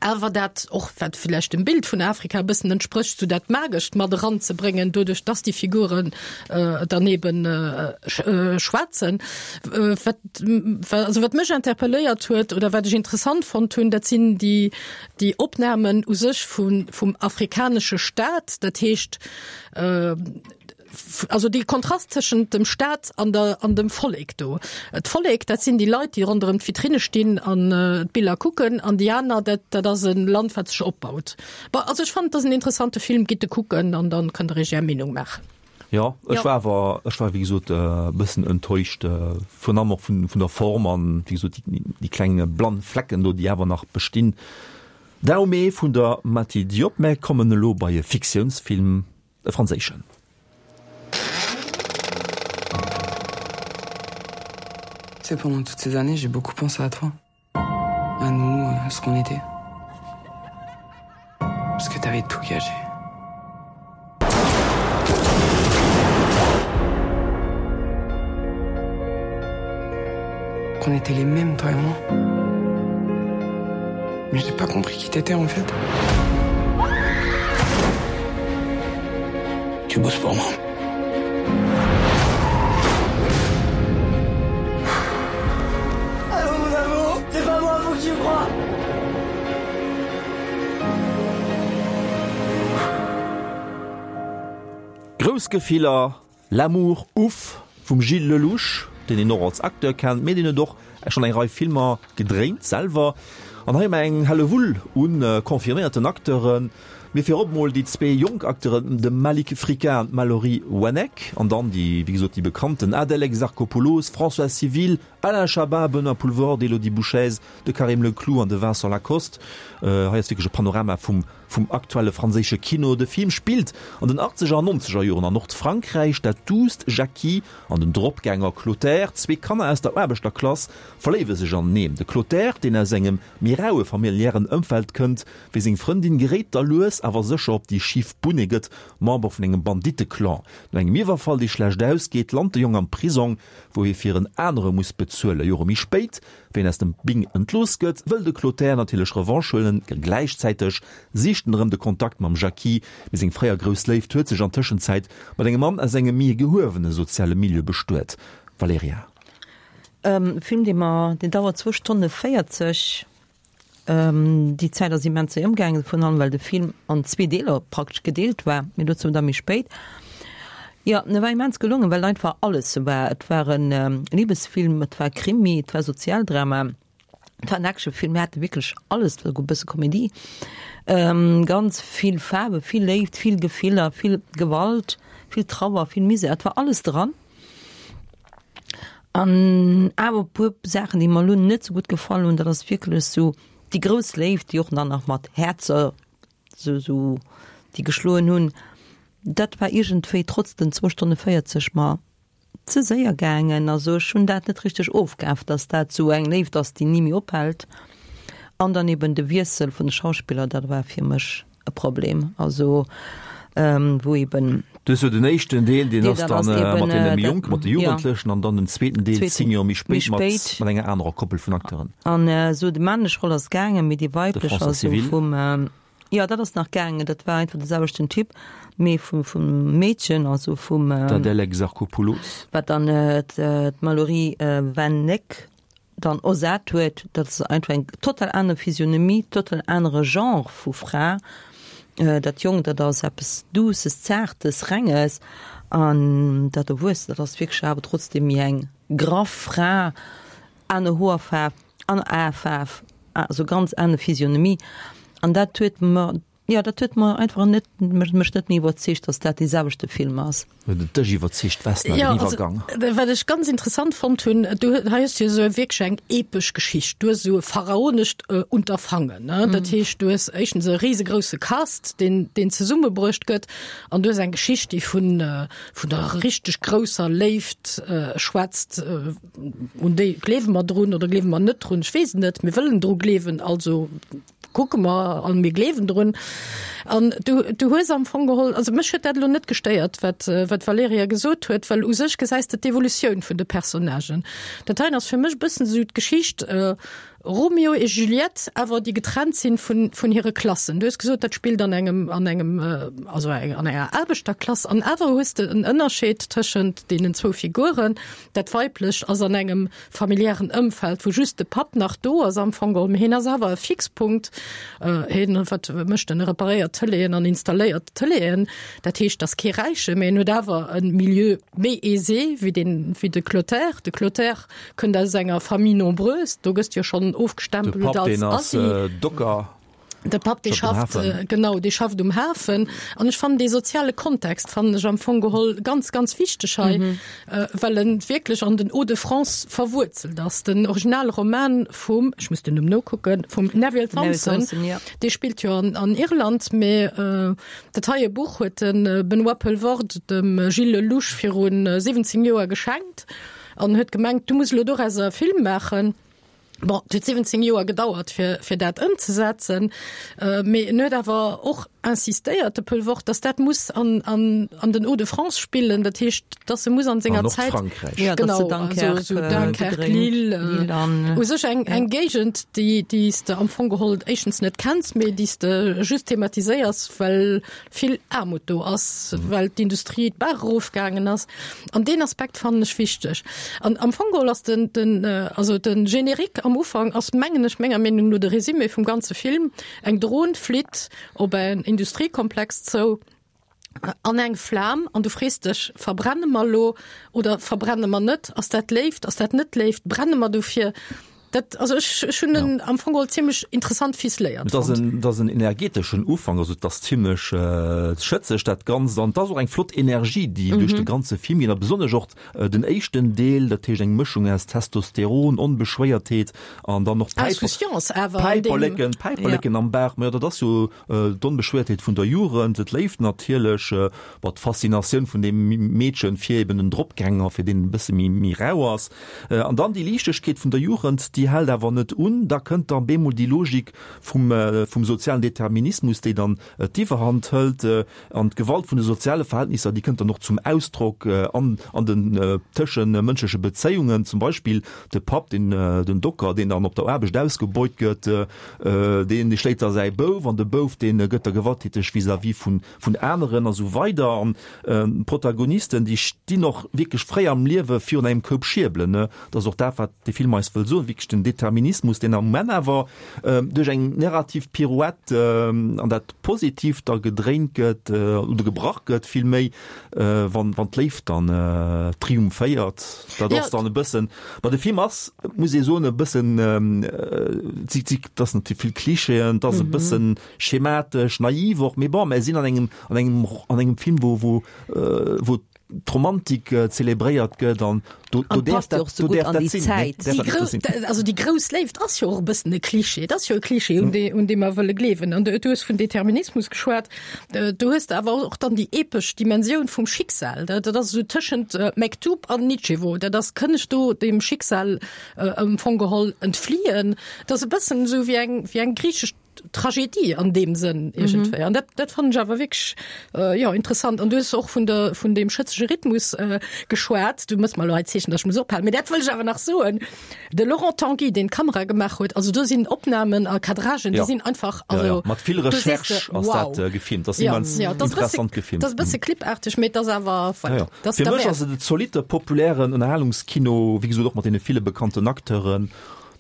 Awer dat och, wat villäicht dem Bild vun Afrika e bëssen entsprécht, sou dat Magescht mat eranzebréngen, doduerch dass déi Figuren dann eben schwätzen. Wat, also wat mech interpelléiert huet oder wat ech interessant fonnt hunn, dat sinn déi, déi Opnamen u sech vun, vum afrikanesche Staat, dat heescht, also dee Kontrast tëschent dem Staat an der an dem Vollek do. D'Vollek, dat sinn déi Leit, déi ronderëm d'Vitrine stinn an d'Biller kucken, an déi aner, dat dat ass e Land, wat sech opbaut. Bon, also ech fannen, et ass en interessante Film, gitt e kucken an dann kënnt der iech är Meenung maachen. Jo, ech war awer, ech war wéi gesot e bëssen enttäuscht, virun allem och vun vun der Form an wéi gesot déi déi kleng blann Flecken do, déi awer nach bestinn. Dahomey vun der Mati Diop. Mär kommen elo bei e Fiktiounsfilm. E franséischen. Tu sais, pendant toutes ces années, j'ai beaucoup pensé à toi. À nous, à ce qu'on était. Parce que t'avais tout gâché. Qu'on était les mêmes, toi et moi. Mais j'ai pas compris qui t'étais en fait. Tu bosses pour moi. Allô, mon amour, c'est pas moi, faut que tu crois. Grouss Gefiller, L'amour ouf vum Gilles Lellouche, deen een och als Acteur kennt, mee deen huet och schonn eng Rei Filmer gedréint selwer. An hei hu mer eng Hellewull u confirméierten Acteuren, mee virop mol déi zwee jonk Acteuren, de Malik Fricka an d'Mallory Weineck, an dann déi, wéi gesot, déi bekannten Adèle Exarchopoulos, Françoise Civil, Alain Chabat, Benoît Poelvoorde, Elodie Bouchez, de Karim Leclou an de Vincent Lacoste. Hei ass wierklech e Panorama vum vum aktuelle franséische Kino. De Film spillt an den achtzeger an nonzeger Joren an Nordfrankräich. Dat duusst Jackie an den Dropgänger Clotaire, zwee Kanner aus der Aarbechterklass, verléiwe sech aneneen. De Clotaire, deen aus engem méi raue familiären Ëmfeld kënnt wéi seng Frëndin, geréit da lues awer sécher op déi schif Bunn. E gëtt Member vun engem Banditte-Clan. No engem Iwwerfall, dee schlecht ausgeet, lant de Jong am Prisong, wou hie fir en anere muss bezuelen. Jore méi spéit, wéi en aus dem Bing entlooss gëtt, wëll de Clotaire natierlech Revanche huelen. Gläichzäiteg sicht en erëm de Kontakt mam Jackie, mee seng fréier grouss Léift huet sech an Tëschenzäit mat engem Mann aus engem méi gehuewene soziale Milieu bestuet. Valerija. E Film, dee mer, deen dauert zwou Stonne 40. Déi Zäit ass immens séier ëmgaangen, virun allem well de Film an zwee Deeler praktesch gedeelt war, mee dozou da méi spéit. Jo, en war immens gelongen, well einfach alles war. Et war e Libesfilm, et war Krimi, et war Sozialdrama, et war en Actionfilm, mir hate wierklech alles, et war souguer e bësse Komedie. Ganz vill Faarwe, vill Léift, vill Gefiller, vill Gewalt, vill Trauer, vill Misär, et war alles dran. An awer e puer Saachen, déi mer elo net sou gutt gefall hunn, dat ass wierklech sou déi grouss Léift, déi och dann nach mat Häerzer sou sou déi geschloen hunn, dat war iergendwéi trotz den zwou Stonne 40 mer ze séier gaangen. Also ech hunn dat net richteg ofkaf, datt dat sou eng Léift ass, déi ni méi ophält. An dann eben de Wiessel vun de Schauspiller, dat war fir mech e Problem, also wou eben. Du hues jo den éischten Deel, deen ass dann mat deene méi Jonken, mat de Jugendlechen, an dann den zweeten Deel, zéng Joer méi spéit, mat enger anerer Koppel vun Acteuren. An esou déi männlech Roll ass gaangen, mee déi weiblech, also vum, jo dat ass nach gaangen, dat war einfach de selwechten Typ, mee vum Meedchen, also vum. D'Adèle Exarchopoulos. Wat dann d'Mallory Weineck dann ersat huet, dat ass einfach eng total aner Physionomie, total anere Genre vu Fra. Dat Jonkt, dat ass eppes Douces, Zaartes, Renges, an dat Erwuessent, dat ass wierklech awer trotzdeem méi eng graff Fra, aner Hoerfaarf, aner Aefaarf, also ganz aner Physionomie. An dat huet mer Jo, dat huet mer einfach net, mech net méi iwwerzeegt, dass dat dee selwechte Film ass. Huet et dech iwwerzeegt, Vesna, den Iwwergang? Jo, also, wat ech ganz interessant fonnt hunn, du hei hues du jo esou wierklech eng epesch Geschicht. Du hues esou e pharaonescht Unterfangen, ne? Dat heescht, du hues éischtens e risegrousse Cast, deen, deen zesummebruecht gëtt, an du hues eng Geschicht, déi vun, vun der richteg grousser Léift schwätzt, un déi gleewe mer drun oder gleewe mer net drun, ech weess et net, mir wëllen dru gleewen, also Kucke mer an mir gleewen drun. An du, du hues am Fong geholl, also mech huet dat elo net gestéiert, wat, wat d'Valerija gesot huet, well u sech gesäis de d'Evolutioun vun de Personnagen. Dat heien ass fir mech e bëssen esou d'Geschicht. Romeo et Juliette, awer déi getrennt sinn vun, vun hire Klassen. Du hues gesot, dat spillt an engem, an engem, also an enger Aarbechterklass, an awer hues de en Ënnerscheed tëschent deenen zwou Figuren. Dat Weiblecht ass an engem familiären Ëmfeld, wou just de Papp nach do ass am Fong geholl, mee hien ass awer e Fixpunkt. Hien, wat mécht en? E reparéiert Tëleeën an installéiert Tëleeën. Dat heescht, ass kee Räiche, mee en huet awer e Milieu méi aisé wéi deen, wéi de Clotaire. De Clotaire Kënnt aus enger Famille nombreuse, do gëss de jo schonn De ofgestempelt Papp, als deen ass Assi. Docker. De Papp, dee Schafft um schafft, Hafen. genau, dee schafft um Hafen. An ech fannen dee soziale Kontext fannen ech am Fong geholl ganz, ganz wichteg hei, well en wierklech an den Hauts-de-France verwuerzelt ass. Den Originalroman vum, ech muss den Numm nokucken, vum Neville Neville Thompson, Thompson, ja. dee spillt jo an, an Irland, mee dat heie Buch huet de Benoît Poelvoorde dem Gilles Lellouche viru 17 Joer geschenkt. An huet gemengt, du muss elo dorauser e Film maachen. Bon, et huet 17 Joer gedauert, fir, fir dat ëmzesetzen. Mee en huet awer och insistéiert, de Poelvoorde, datt dat muss an, an, an den Hauts-de-France spillen. Dat heescht, datt e muss an senger An Zäit. Nordfrankräich. Ja, datt se Genau, also esou Dunkerque Dunkerque, gedréint, Lille, Lille an, u sech eng, ja. eng Géigend, déi, déi s de am Fong geholl éischtens net kenns, mee déi s de just thematiséiers, well vill Aarmut do ass, well d'Industrie d'Baach erofgaangen ass. An deen Aspekt fannen ech wichteg. An am Fong geholl ass den, den, also den Générique am Ufank ass, mengen ech, menger Meenung no de Résumé vum ganze Film, Eng Dron flitt op en Industriekomplex zou an eng Flam an du frees dech, Verbrenne mer elo oder verbrenne mer net? Ass dat Léift, ass dat net Léift? Brenne mer dofir? Dat, also ech, ech hunn en am Fong geholl zimmlech interessant ficeléiert Et ass fonnt. en, et ass en energeteschen Ufank, also et ass zimmlech schëtzeg dat Ganzt an et ass och eng flott Energie, déi duerch de ganze Film geet a besonnesch och den éischten Deel, dat heescht eng Mëschung aus Testosteron, Onbeschwéiertheet an dann och Päiper, Insouciance awer an deem. Päiperleken, Päiperleken am Baach, ma jo dat ass jo d'Onbeschwéiertheet vun der Jugend, d'Léift natierlech, bon d'Faszinatioun vun deem Meedchen fir eben den Dropgänger, fir deen e bësse méi, méi rau ass. An dann déi Liichtegkeet vun der Jugend, déi hält awer net un. Da kënnt dann bemol déi Logik vum, vum sozialen Determinismus, déi dann d'Iwwerhand hëlt. An d'Gewalt vun de soziale Verhältnisser, déi kënnt dann och zum Ausdrock an, an den tëschemënschleche Bezéiungen. Zum Beispill de Papp, deen, den Docker, deen dann op der Aarbecht ausgebeut gëtt, deen, dee schléit da säi Bouf, an de Bouf, dee gëtt da gewalttäteg vis-à-vis vun, vun aneren a sou weider. An d'Protagonisten, déi stinn och wierklech fréi am Liewe virun engem Koup Schierbelen, ne. Dat ass och dat, wat de Film eis wëll soen, wierklech den Determinismus, deen am Moment awer duerch eng narrativ Pirouette an dat Positiivt da gedréint gëtt, oder gebrach gëtt villméi, wann, wann d'Léift dann triumphéiert. Dat ass dann e bëssen, ma de Film ass, muss ee soen, e bëssen, si, si, et ass natierlech vill Klischeeën, et ass e bëssen Schematesch, naiv och, mee bon, mär sinn an engem, an engem, an engem Film, wou, wou, wou d'Romantik zelebréiert gëtt an do, do An däerf passt jo dat, och sou do gutt däerf an dat déi sinn, ne? Zäit. Däerf Déi dat grou, net sinn. also déi grouss Léift ass jo och e bëssen e Klischee. Et ass jo e Klischee, un dee, un dee mer wëlle gleewen. An du, du hues vun Determinismus geschwat. Du hues awer och dann déi epesch Dimensioun vum Schicksal. Dat, dat ass esou tëschent Mektoub an Nitschewo. Dat ass, kënn ech do dem Schicksal am Fong geholl entfliehen? Dat ass e bëssen esou wéi eng, wéi eng griichesch Tragedie an deem Sënn iergendwéi. Mhm. An dat, dat fannen ech awer wierklech äh, ja, interessant. An du hues och vun der, vun deem schëtzege Rhythmus äh, geschwat. Du mëss mer elo hei Zeechen, dass ech muss ophalen. Mee dat wëll ech awer nach soen. De Laurent Tanguy, deen d'Kamera gemaach huet, also do sinn Opnamen a Cadragen, déi Ja. sinn einfach, Ja, also ja. Mat vill do sees de, Recherche ass wow. dat äh, gefilmt. Dat ass Ja, immens ja, dat ass e bësse, interessant gefilmt. dat ass e bësse clipaarteg, mee dat ass awer, voilà, Ja, ja. dat ass Fir mech derwäert. ass et e zolitte populären Ënnerhalungskino, wéi gesot och mat deene ville bekannten Acteuren.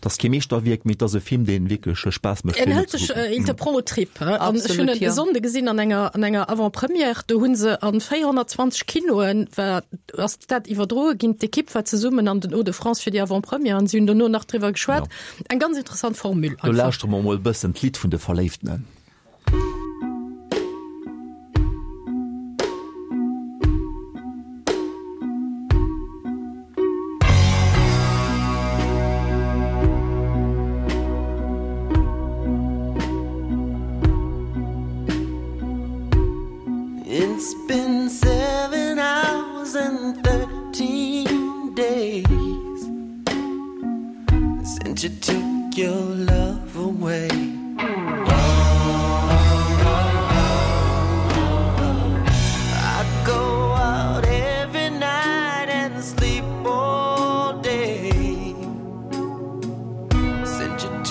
Et ass kee Meeschterwierk, mee et ass e Film, dee wierklech Spaass mécht, En fir hëlt sech, nozekucken. il te prend aux tripes, hein. An ech hunn Absolut, en jo. e Sonnde gesinn an enger, an enger Avant-première, do hu se an 420 Kinoen war, ass dat iwwerdroe ginn. D'Ekipp war zesummen an den Hauts-de-France fir déi Avant-première an si hunn dono nach driwwer geschwat. Eng ganz interessant Formule Lo einfach. lauschtere mer mol e bëssen d'Lidd vun de Verléiftenen. It's been seven hours and 13 days Since you took your love away I go out every night and sleep all day Since you.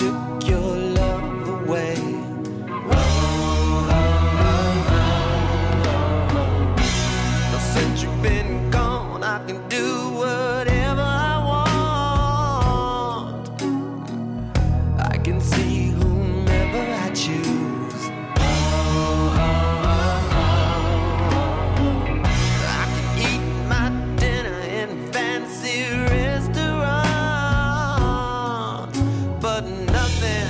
fancy restaurant. But nothing,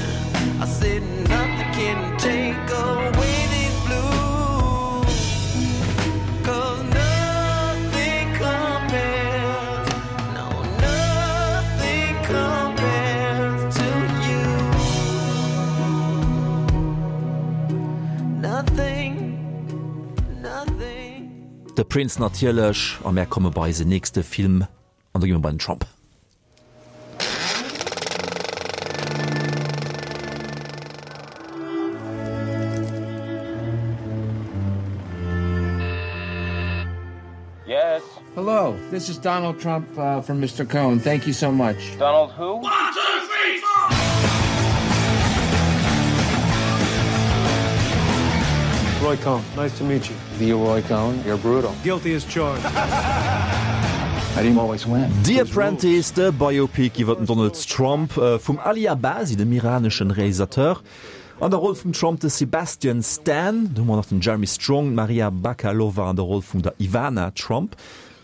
I said nothing can take away these blues. Cause nothing compares, no, nothing compares to you. Nothing, nothing. De Prince natierlech, a mär komme bei eisen nächste Film, an do gi mer bei den Trump. Yes. Hello, this is Donald Trump uh, from Mr. Cohen. Thank you so much. Donald who? One, two, three, four! Roy Cohn, nice to meet you. Leroy Cohn, you're brutal. Guilty as charged. I didn't always win. The Apprentice, de Biopic iwwer den Donald Trump vum Ali Abbasi, dem iraneschen Realisateur. An der Roll vum Trump de Sebastian Stan, do hu mer nach den Jeremy Strong, d'Maria Bakalova an der Roll vun der Ivana Trump.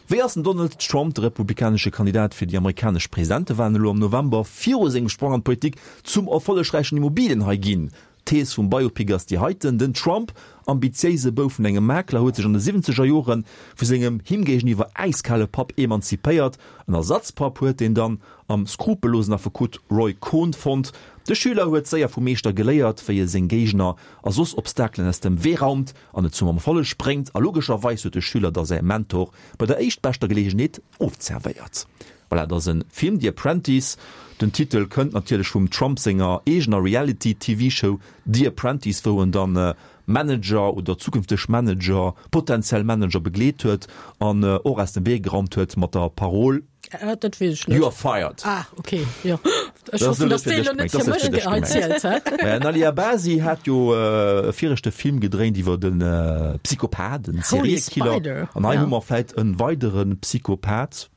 Wéi ass den Donald Trump, de republikanesche Kandidat fir déi amerikanesch Presidentewalen elo am November, viru sengem Sprong an d'Politik zum erfollegräichen Immobilienhai ginn? D'Thees vum Biopic ass déi heiten, Den Trump, ambitiéise Bouf vun engem Makler, huet sech an de siwwenzeger Jore vu sengem him géigeniwwer äiskale Papp emanzipéiert. En Ersatzpapp huet deen dann am skrupellosen Affekot Roy Cohn fonnt. De Schüler huet séier vum Meeschter geléiert, wéi e seng Géigner a soss Obstakelen aus dem Wee raumt an et zum Erfolleg bréngt. A logescherweis huet de Schüler da säi Mentor bei der éischtbeschter Geleegenheet ofzerwéiert. Voilà, et ass e Film, The Apprentice. Den Titel kënnt natierlech vum Trump senger eegener Reality-TV-Show The Apprentice, wou en dann Manager oder zukünfteg Manager, potentiell Manager begleet huet an och aus dem Wee geraumt huet mat der Parol, Dat weess ech net. You are fired. Ah, okay, jo. Ech hoffen, dass déi elo net fir mech hei zielt, hä? Den Ali Abbasi hat jo e viregte Film gedréint iwwer e Psychopath, en Seriekiller. An hei hu mer vläit e weidere Psychopath.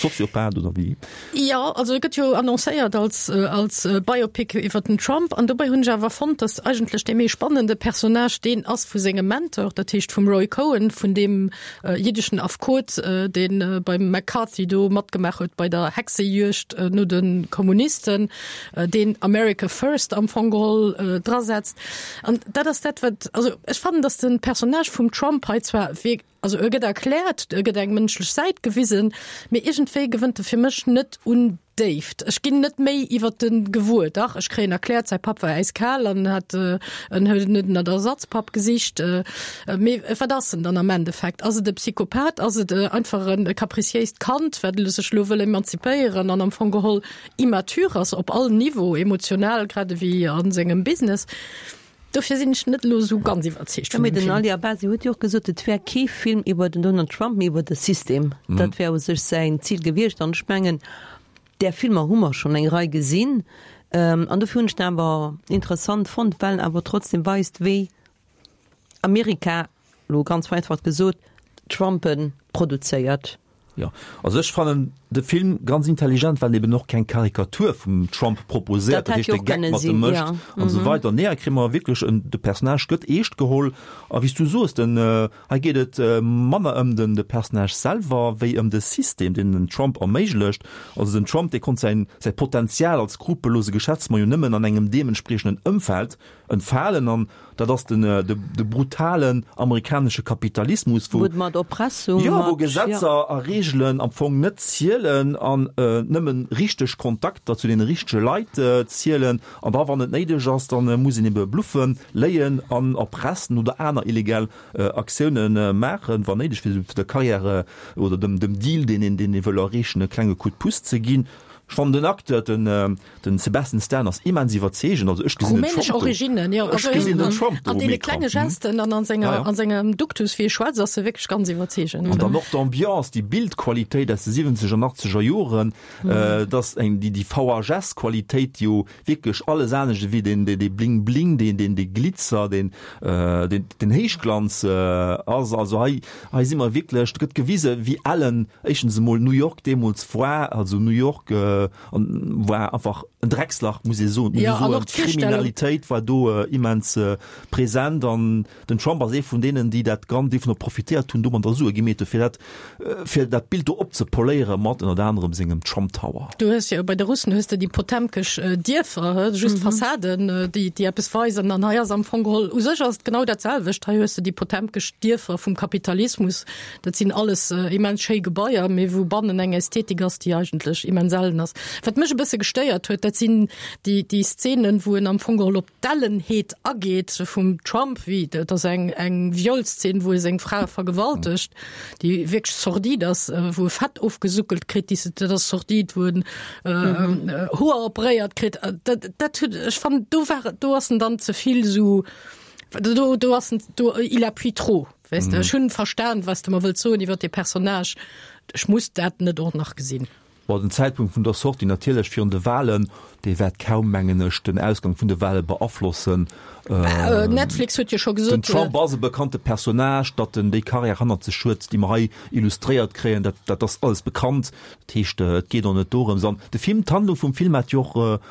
Soziopath oder wéi? Jo, also e gëtt jo annoncéiert als, als Biopic iwwer den Trump. An dobäi hunn ech awer fonnt, datt eigentlech dee méi spannende Personnage deen ass vu sengem Mentor, dat heescht vum Roy Cohn, vun deem jiddeschen Affekot, dee beim McCarthy do matgemaach huet bei der Hexejuegd no de Kommunisten, deen America First am Fong geholl drasetzt. An dat ass dat, wat, also ech fannen, datt de Personnage vum Trump hei zwar wierk, Also e gëtt erkläert, e gëtt eng mënschlech Säit gewisen, mee iergendwéi gewënnt e fir mech net un Déift. Ech ginn net méi iwwer de gewuer. Dach, ech kréien erkläert, säi Papp war äiskal an hat en huet en en Ersatzpapp gesicht. Mee wat ass en dann am Endeffekt? Ass et e Psychopath? Ass et einfach e capriciéist Kand, wat sech elo wëll emanzipéieren an am Fong geholl immature ass op all Niveau, emotional grad ewéi a sengem Business? Dofir sinn ech net elo esou ganz iwwerzeegt vun dem Film. Mee den Ali Abbasi huet jo och gesot, et wär kee Film iwwer den Donald Trump, mee iwwer de System. Dat wär u sech säin Zil gewiescht. An ech mengen, där Filmer hu mer schonn eng Rei gesinn. An dofir hunn ech den awer interessant fonnt, well en awer trotzdem weist, wéi Amerika, elo ganz vereinfacht gesot, Trumpen produzéiert. Jo, also ech fannen de Film ganz intelligent, well en eben och keng Karikatur vum Trump proposéiert, dat heescht de Geck mat em mécht an esou weider. Nee, hei kréie mer wierklech en, de Personnage gëtt eescht geholl a wéi s du soos, den, hei geet et manner ëm den de Personnage selwer wéi ëm de System, deen den Trump erméiglecht. Also den Trump, dee konnt säin, säi Potenzial als skrupellose Geschäftsmann jo nëmmen an engem deementspriechenden Ëmfeld entfalen an dat ass den de brutalen amerikanesche Kapitalismus, wou mat Oppressung, jo, wou Gesetzer a Reegelen am Fong net zielen an nëmmen richteg Kontakter zu deene richtege Leit zielen an da wann et néideg ass, da muss een ebe bluffen, léien an erpressen oder aner illegal Aktioune maachen, wann néideg, fir der Karriär oder dem Deal, deen een deen ee wëll erreechen, e klenge Coup de pouce ze ginn. Ech fannen den Acteur, den Den Sebastian Stan ass immens iwwerzeegend, also ech gesinn den Rumänesch Trump do. Originnen, jo. Ech Also gesinn den Trump do an um deene Ecran. klenge Gesten an an senger, Ja, ja. an sengem Duktus, wéi e schwätzt, ass e wierklech ganz iwwerzeegend. An dann och d'Ambiance, déi Bildqualitéit aus de 70 an 80er Joren, dass eng, déi, déi VHS-Qualitéit, déi jo wierklech alles anescht ewéi deen, dee, dee Bling-Bling, deen, deen, dee Glitzer, deen, deen, den Héichglanz ass. Also hei, hei si mer wierklech, do gëtt gewise wéi ellen éischtens emol New York deemools war, also New York. War einfach en Dreckslach, muss ee soen. Ja, an och d'Kriminalitéit war do immens present an den Trump ass ee vun deenen, déi dat Gan, déi dovunner profitéiert hunn, domadder Sue gemeet hu fir dat, fir dat Bild do opzepoléiere mat ënnert anerem sengem Trump Tower. Du hues jo bei de Russen hues de déi potemkesch Dierfer, just Fassaden, déi, déi eppes weisen an hei ass am Fong geholl, u sech ass et genau dat selwecht, hei hues de déi potemkesch Dierfer vum Kapitalismus, Dat sinn alles immens schéi Gebaier, mee wou bannen eng Ästhetik ass, déi eigentlech immens ellen ass. Wat mech e bësse gestéiert huet, dat sinn déi, déi Szenen, wou en am Fong geholl op d'Ellenheet ageet vum Trump, wéi, dat ass eng, eng Violszene, wou e seng Fra vergewaltegt, déi wierklech sordid ass, wou e Fett ofgesuckelt kritt, déi, dat ass sordid, wou en Hoer operéiert kritt. Dat, dat huet, ech fannen, do war, do ass en dann ze vill esou, do, do ass en, do, il appuie trop. Weess de, ech hunn verstan, was de mer wëlls soen iwwer dee Personnage. Ech muss dat net och nach gesinn. Bon, den Zäitpunkt vun der Sortie natierlech virun de Wahlen, dee wäert kaum, mengen ech, den Ausgang vun de Wahle beaflossen. Netflix huet jo scho gesot. Den Trump ass e bekannte Personnage, datt en déi Karriär hannert sech huet, déi mer hei illustréiert kréien, dat, dat ass alles bekannt. Dat heescht, et geet och net dorëms. An de Film, d'Handlung vum Film hat jo och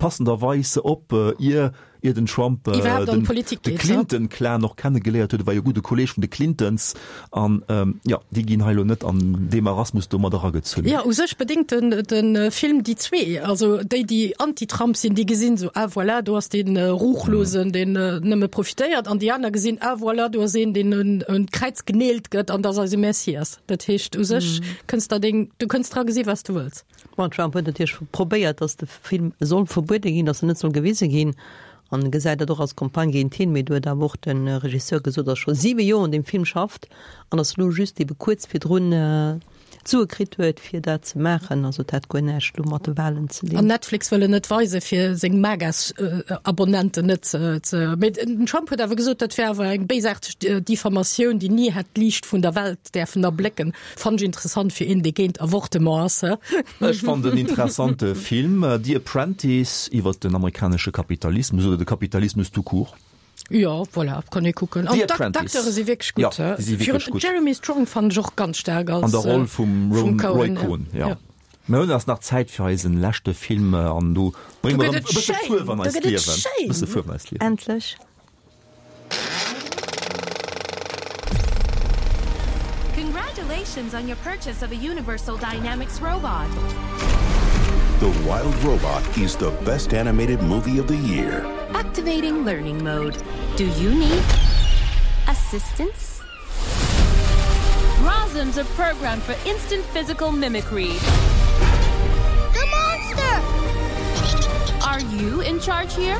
passenderweis op, ier Ier den Trump den de Clinton-Clan och kennegeléiert huet, e war jo gudde Kolleeg vun de Clintons, an jo, déi ginn hei elo net an dee Marasmus do mat eragezunn. Jo, u sech bedéngt den de Film déi zwee, also déi, déi anti-Trump sinn, déi gesinn esou, ah voilà, do ass dee Ruchlosen, deen nëmme profitéiert, an déi aner gesinn, ah voilà, do ass een, deen un un d'Kräiz geneelt gëtt an dat ass eise Messias. Dat heescht, u sech kënns der deng, du kënns dra gesi wat s du wëlls. Bon, Trump huet natierlech probéiert, datt de Film soll verbuede ginn, datt en net soll gewise ginn, an e gesäit dat och als Campagne géint hien. Mee do huet awer och de Regisseur gesot, datt e scho siwe Joer un deem Film schafft an datt elo just ebe kuerz virdrun d'Sue kritt huet, fir dat ze maachen. Also et hätt guer näischt elo mat de Walen ze dinn. An Netflix wëll en net weisen, fir seng MAGA-Abonnenten net ze. Mee den Trump huet awer gesot, dat wär awer eng béisaarteg Diffamatioun, déi ni hätt d'Liicht vun der Welt däerfen erblécken. Fannen ech interessant fir een dee géint Avortement ass. Ech fannen en interessante Film, The Apprentice, iwwert den amerikanesche Kapitalismus oder de Kapitalismus tout court. Jo, voilà, kann ee kucken. An d'Acteure si wierklech gutt. Jo, déi si wierklech gutt. Jeremy Strong fannen ech och ganz staark als. An der Roll vum Roy Cohn, jo. Mir hunn ass nach Zäit fir eisen leschte Film an do brénge mer erëm e bësse Fuerf an eist Liewen. Bësse Fuerf an eist Liewen. Endlech. Congratulations on your purchase of a Universal Dynamics robot. The Wild Robot is the best animated movie of the year. Activating learning mode. Do you need assistance? Rosms are programmed for instant physical mimicry. The monster! Are you in charge here?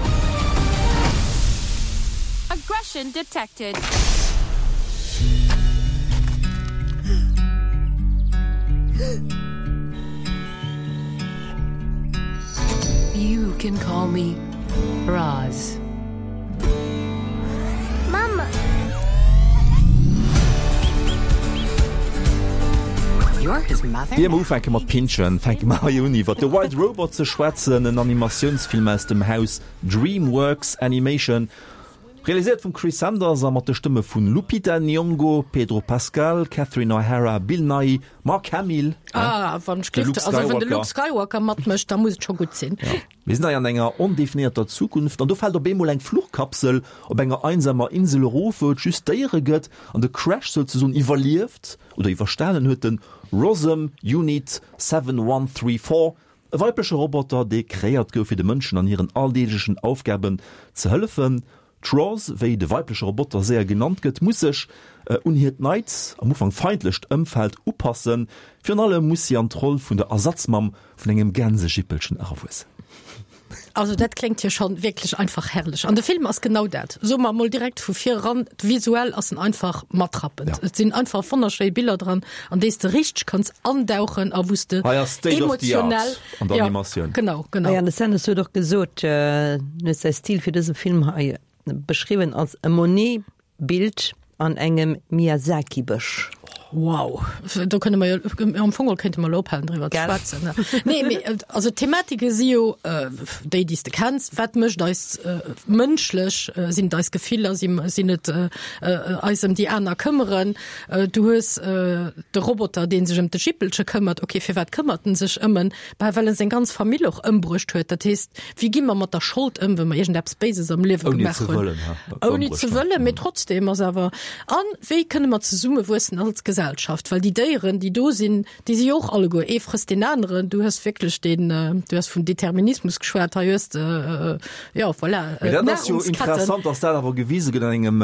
Aggression detected. You can call me Roz. Mama. You're his mother? Ier mer ufänke mat pinschen, fänke mer hei un iwwer The Wild Robot ze schwätzen, en Animatiounsfilm aus dem Haus DreamWorks Animation, realiséiert vum Chris Sanders a mat de Stëmme vun Lupita Nyong'o, Pedro Pascal, Catherine O'Hara, Bill Nighy, Mark Hamill, Ah, wann ech de Luke gelift, also wann de Skywalker. Luke Skywalker matmécht, da muss et scho gutt sinn. Ja. Mir sinn hei an enger ondefinéierter Zukunft an do fält op eemol eng Fluchkapsel op enger einsamer Insel erof, wou et just Déiere gëtt an de Crash souzesoen iwwerlieft oder iwwerstanen huet de Rossum Unit 7134, e weibleche Roboter, dee kreéiert gouf fir de Mënschen an hiren alldeeglechen Aufgaben ze hëllefen. D'Roz, wéi de weibleche Roboter séier genannt gëtt, muss sech un hiert neit, am Ufank feindlecht Ëmfeld upassen. Virun allem muss si an d'Roll vun der Ersatzmamm vun engem Gänsejippelchen erawuessen. Also dat kléngt jo schonn wierklech einfach herrlech. An de Film ass genau dat. Soe mer emol direkt vu vir eran, visuell ass en einfach matrappend. Ja. Et sinn einfach wonnerschéi Biller dran, an déi s de richteg kanns andauchen a wou s de Hei ass State of the Art emotionell an der Ja, Animatioun. genau, genau. Ah ja, de Sanders huet och gesot, en huet säi Stil fir dëse Film hei beschriwwen als e Monet-Bild an engem Miyazaki-Bësch. Wow, do kënne mer jo, am Fong geholl kéinte mer elo ophalen driwwer ze schwätzen. Nee, mee also d'Thematike si jo déi, déi s de kenns. Wat mécht eis mënschlech? Sinn et eis Gefiller? Sinn et eis ëm déi aner këmmeren? Du hues de Roboter, dee sech ëm de Jippelche këmmert. Okay, firwat këmmert en sech ëm en? Bah, well en seng ganz Famill och ëmbruecht huet. Dat heescht, wéi gi mer mat der Schold ëm, wa mer iergendeppes Béises am Liewe gemaach hunn? Ouni ze wëllen, mee trotzdem ass awer. An wéi kënne mer zesumme wuessen als Gesellschaft? Well déi Déieren, déi do sinn, déi si jo och alleguer, ee frësst deen aneren. Du hues wierklech deen, du hues vum Determinismus geschwat, hei hues de, jo, voilà, Mee dat ass jo interessant, datt dat awer gewise gëtt an engem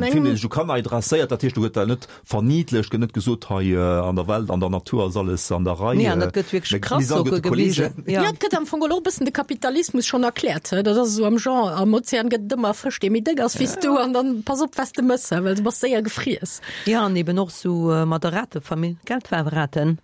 Film, dee sech u Kanner adresséiert. Dat heescht, do gëtt dat net Verniedlecht, gëtt net gesot, hei an der Welt, an der Natur ass alles an der Rei. Nee, an dat gëtt wierklech krass och gewisen. Jo, et gëtt am Fong och e bëssen de Kapitalismus schonn erkläert. Dat ass esou am Genre, am Ozean gëtt et ëmmer e Fësch, dee méi déck ass wéi s du, an dann pass op, wat s de mëss, well du bass séier gefriess. Jo, an eben och esou mat der Ratefamill, Geldwaarweraten.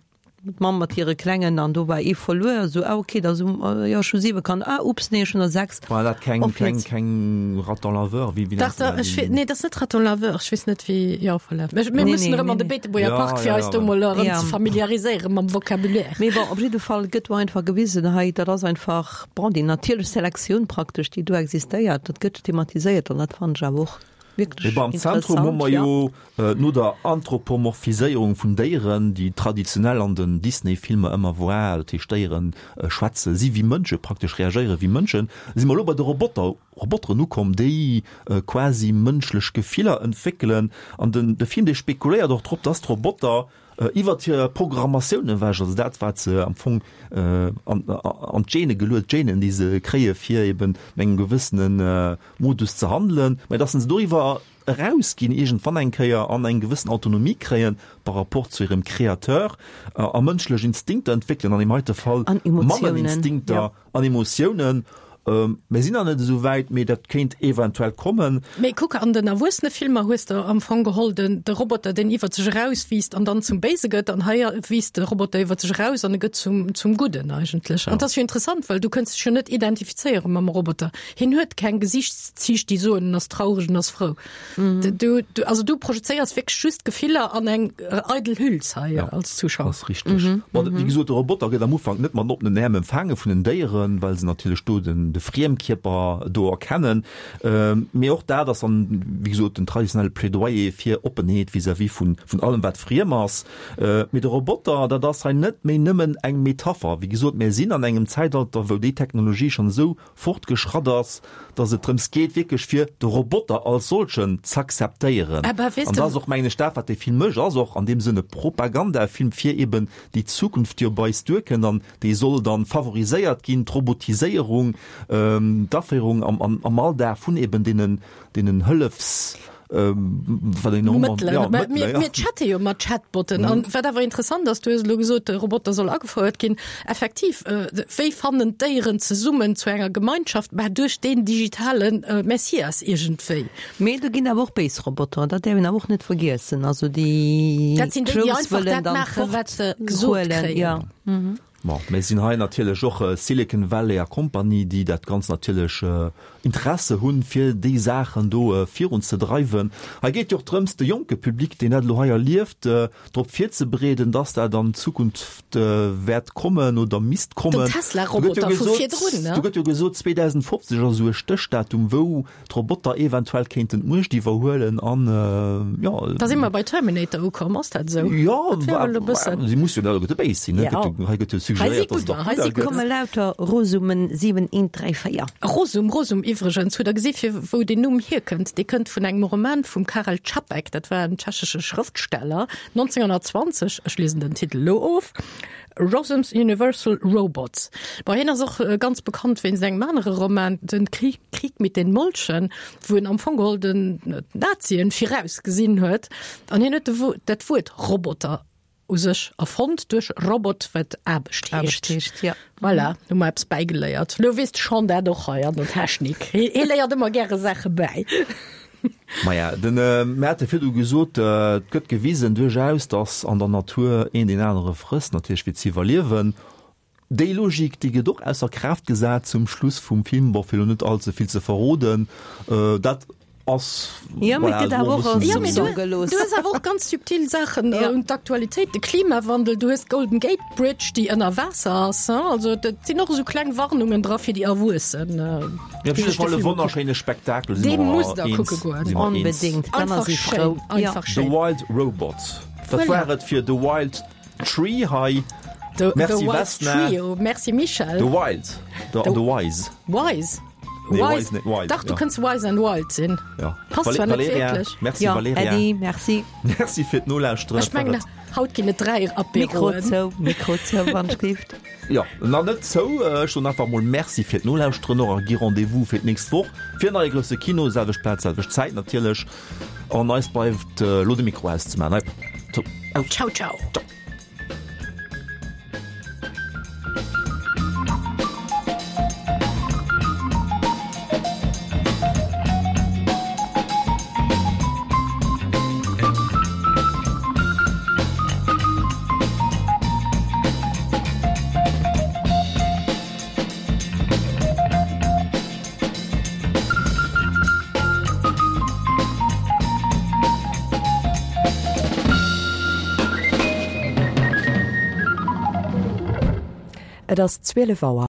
D'Mamm mat hire Klengen an do war ee verluer, esou, ah ok, da sou, jo ech hu 7 Kanner, ah ups, nee ech hunn der 6. War dat keng, keng, keng Raton laveur, wéi, wéi nennt een dat? Dach, nee, dat ass net Raton laveur, ech weess net wéi, jo voilà. Mir, mir mussen erëm an de Beetebuerger Park fir eis do mol erëm ze familiariséiere mam Vocabulaire. Mee bon, op jidde Fall gëtt do einfach gewisen hei, dat ass einfach, bon, déi natierlech Selektioun praktesch, déi do existéiert, dat gëtt thematiséiert an dat fannen ech awer och wierklech Mee am Zentrum hu mer jo no der Anthropomorphiséierung vun Déieren, déi traditionell an den Disney-Filmer ëmmer war, dat heescht Déiere schwätze, si wéi Mënsche praktesch, reagéiere wéi Mënschen, si mer elo bei de Roboter, Roboteren ukomm, déi quasi mënschlech Gefiller entwéckelen. An den de Film, dee spekuléiert och drop, dass d'Roboter iwwert hir Programmatioun ewech, also dat wat se am Fong an an d'Gene geluet, d'Genen déi se kréie fir eben no engem gewëssene Modus ze handelen, mä dass se doriwwer erausginn iergendwann eng Kéier an eng gewëssen Autonomie kréien par rapport zu hirem Créateur a mënschlech Instinkter entwéckelen, an deem heite Fall Mammeninstinkter an Emotiounen. Mir sinn nach net esou wäit, mee dat kéint eventuell kommen. Mee kuck, an den Erwuessenefilmer hues de am Fong geholl den de Roboter, deen iwwer sech erauswiisst an dann zum Béise gëtt, an hei wiisst de Roboter iwwer sech eraus an e gëtt zum zum Gudden eigentlech. An dat ass jo interessant, well du kënns dech jo net identifizéiere mam Roboter. Hien huet keng Gesichtszich, déi soen, en ass traureg, en ass frou. Du, du, also du projezéiers wierklech just Gefiller an eng eidel Hüls hei ja, als Zuschauer. Das ist richtig. Mhm. Bon, mhm. Wéi gesot, de Roboter gëtt am Ufank net mat oppenen Äerm empfaange vun den Déieren, well se natierlech do den, de Friemkierper do erkennen. Ähm, mee och dat ass dann, wéi gesot, den traditionelle Plädoyer fir Oppenheet vis-à-vis vun, vun allem, wat friem ass. Äh, mee de Roboter, dat ass hei net méi nëmmen eng Metapher. Wéi gesot, mir sinn an engem Zäitalter, wou déi Technologie schonn esou fortgeschratt ass, dass et drëms geet wierklech fir de Roboter als solchen z'akzeptéieren. An dat ass och, mengen ech, dat wat dee Film mécht, ass och an deem Sënn e Propagandafilm fir eben déi Zukunft déi op eis duerkënnt an déi soll dann favoriséiert ginn, d'Robotiséierung, d'Aféierung am Alldag vun eben deenen Hëllefs Mëttelen. Mä mir, mir chatte jo mat Chatbotten. An wat awer interessant ass, du hues elo gesot, de Roboter soll agefouert ginn. Effektiv, wéi fannen d'Déieren zesummen zu enger Gemeinschaft? Mä duerch deen digitale Messias iergendwéi. Mee do ginn awer och béis Roboter, dat däerf een awer och net vergiessen. Also déi Dat sinn déi, déi einfach dat maachen, wat se gesot kréien. Bon, mir sinn hei natierlech och Silicon Valley a Compagnie, déi dat Ganzt natierlech Interesse hunn, fir déi Saachen do virunzedreiwen. Hei geet jo och drëms, de jonke Public, deen dat elo hei erlieft, drop virzebereeden, dass dat an Zukunft wäert kommen oder misst kommen. Den Tesla-Roboter vu virdrun, ne? Do gëtt jo gesot, 2050 ass esou e Stéchdatum, wou d'Roboter eventuell kéinten d'Muecht iwwerhuelen an jo. Da si mer bei Terminator ukomm, ass dat esou? Jo, si musse jo net alleguerte béis sinn, ne? Hei gëtt jo suggeréiert, dass et och gudder gëtt. Hei komme lauter Rosumen 7, 1, 3, 4. Rosum, Rosum iwwregens, hutt Der gesi fir wou deen Numm hierkënnt? Dee kënnt vun engem Roman vum Karel Čapek, dat war en tschechesche Schrëftsteller, 1920, ech liesen den Titel elo of, Rossum's Universal Robots. Bon, hien ass och ganz bekannt wéinst engem anere Roman, Den Krieg, Krieg mit den Molchen, wou en am Fong geholl den d'Nazien virausgesinn huet. An hien huet de dat Wuert Roboter u sech erfonnt duerch Robot, wat Aarbecht heescht. Aarbecht heescht, ja. Voilà, hu mer eppes bäigeléiert. Lo weess de Sean dat och hei an der Technik. Hie léiert ëmmer gäre Saache bäi. Maja, den mir hate virdu gesot, et gëtt gewisen duerchaus, datt an der Natur een deen anere frësst, natierlech fir ze iwwerliewen. Déi Logik, déi gëtt och ausser Kraaft gesat zum Schluss vum Film, bon, fir elo net all ze vill ze verroden. Dat. Ass Ja, mee et gëtt awer och als Ja, mee du, Soupçon gelooss. du hues awer och ganz subtil Saachen Ja. un d'Aktualitéit, de Klimawandel, du hues d'Golden Gate Bridge, déi ënner Waasser ass, hein? Also dat sinn och esou kleng Warnungen dra fir déi Erwuessen. Ja, op jidde Fall e wonnerschéine Spektakel, si Dee mer musst der eens, kucke goen. si mer eens. Onbedéngt, d'Kanner Einfach si schéin, frou. Ja. einfach The schéin. Wild Robot, dat Voilà. war et fir The Wild Tree hei. The, Merci the Wild Vesna. Trio, merci Michel. The Wild, the, the Wise. Wise. Nee, Wise. Wise net, Wild, Dach, du ja. kënns Wise and Wild sinn. Ja. Passt zwar net Valeria, wierklech. Merci Ja, Valeria. Äddi, merci. Merci fir d'Nolauschteren. Ech mengen, haut ginn et 3 Mikro Apéroen. zou, Mikro zou, wann ech gift. Ja, na net zou. Ech soen einfach mol Merci fir d'Nolauschteren och a gi Rendez-vous fir d'nächst Woch fir en neie grousse Kino, selwecht Plaz, selwecht Zäit natierlech. An eis bleift elo de Mikro auszemaachen. Zou, aus. Ciao, ciao. Ciao. Et ass 12 Auer.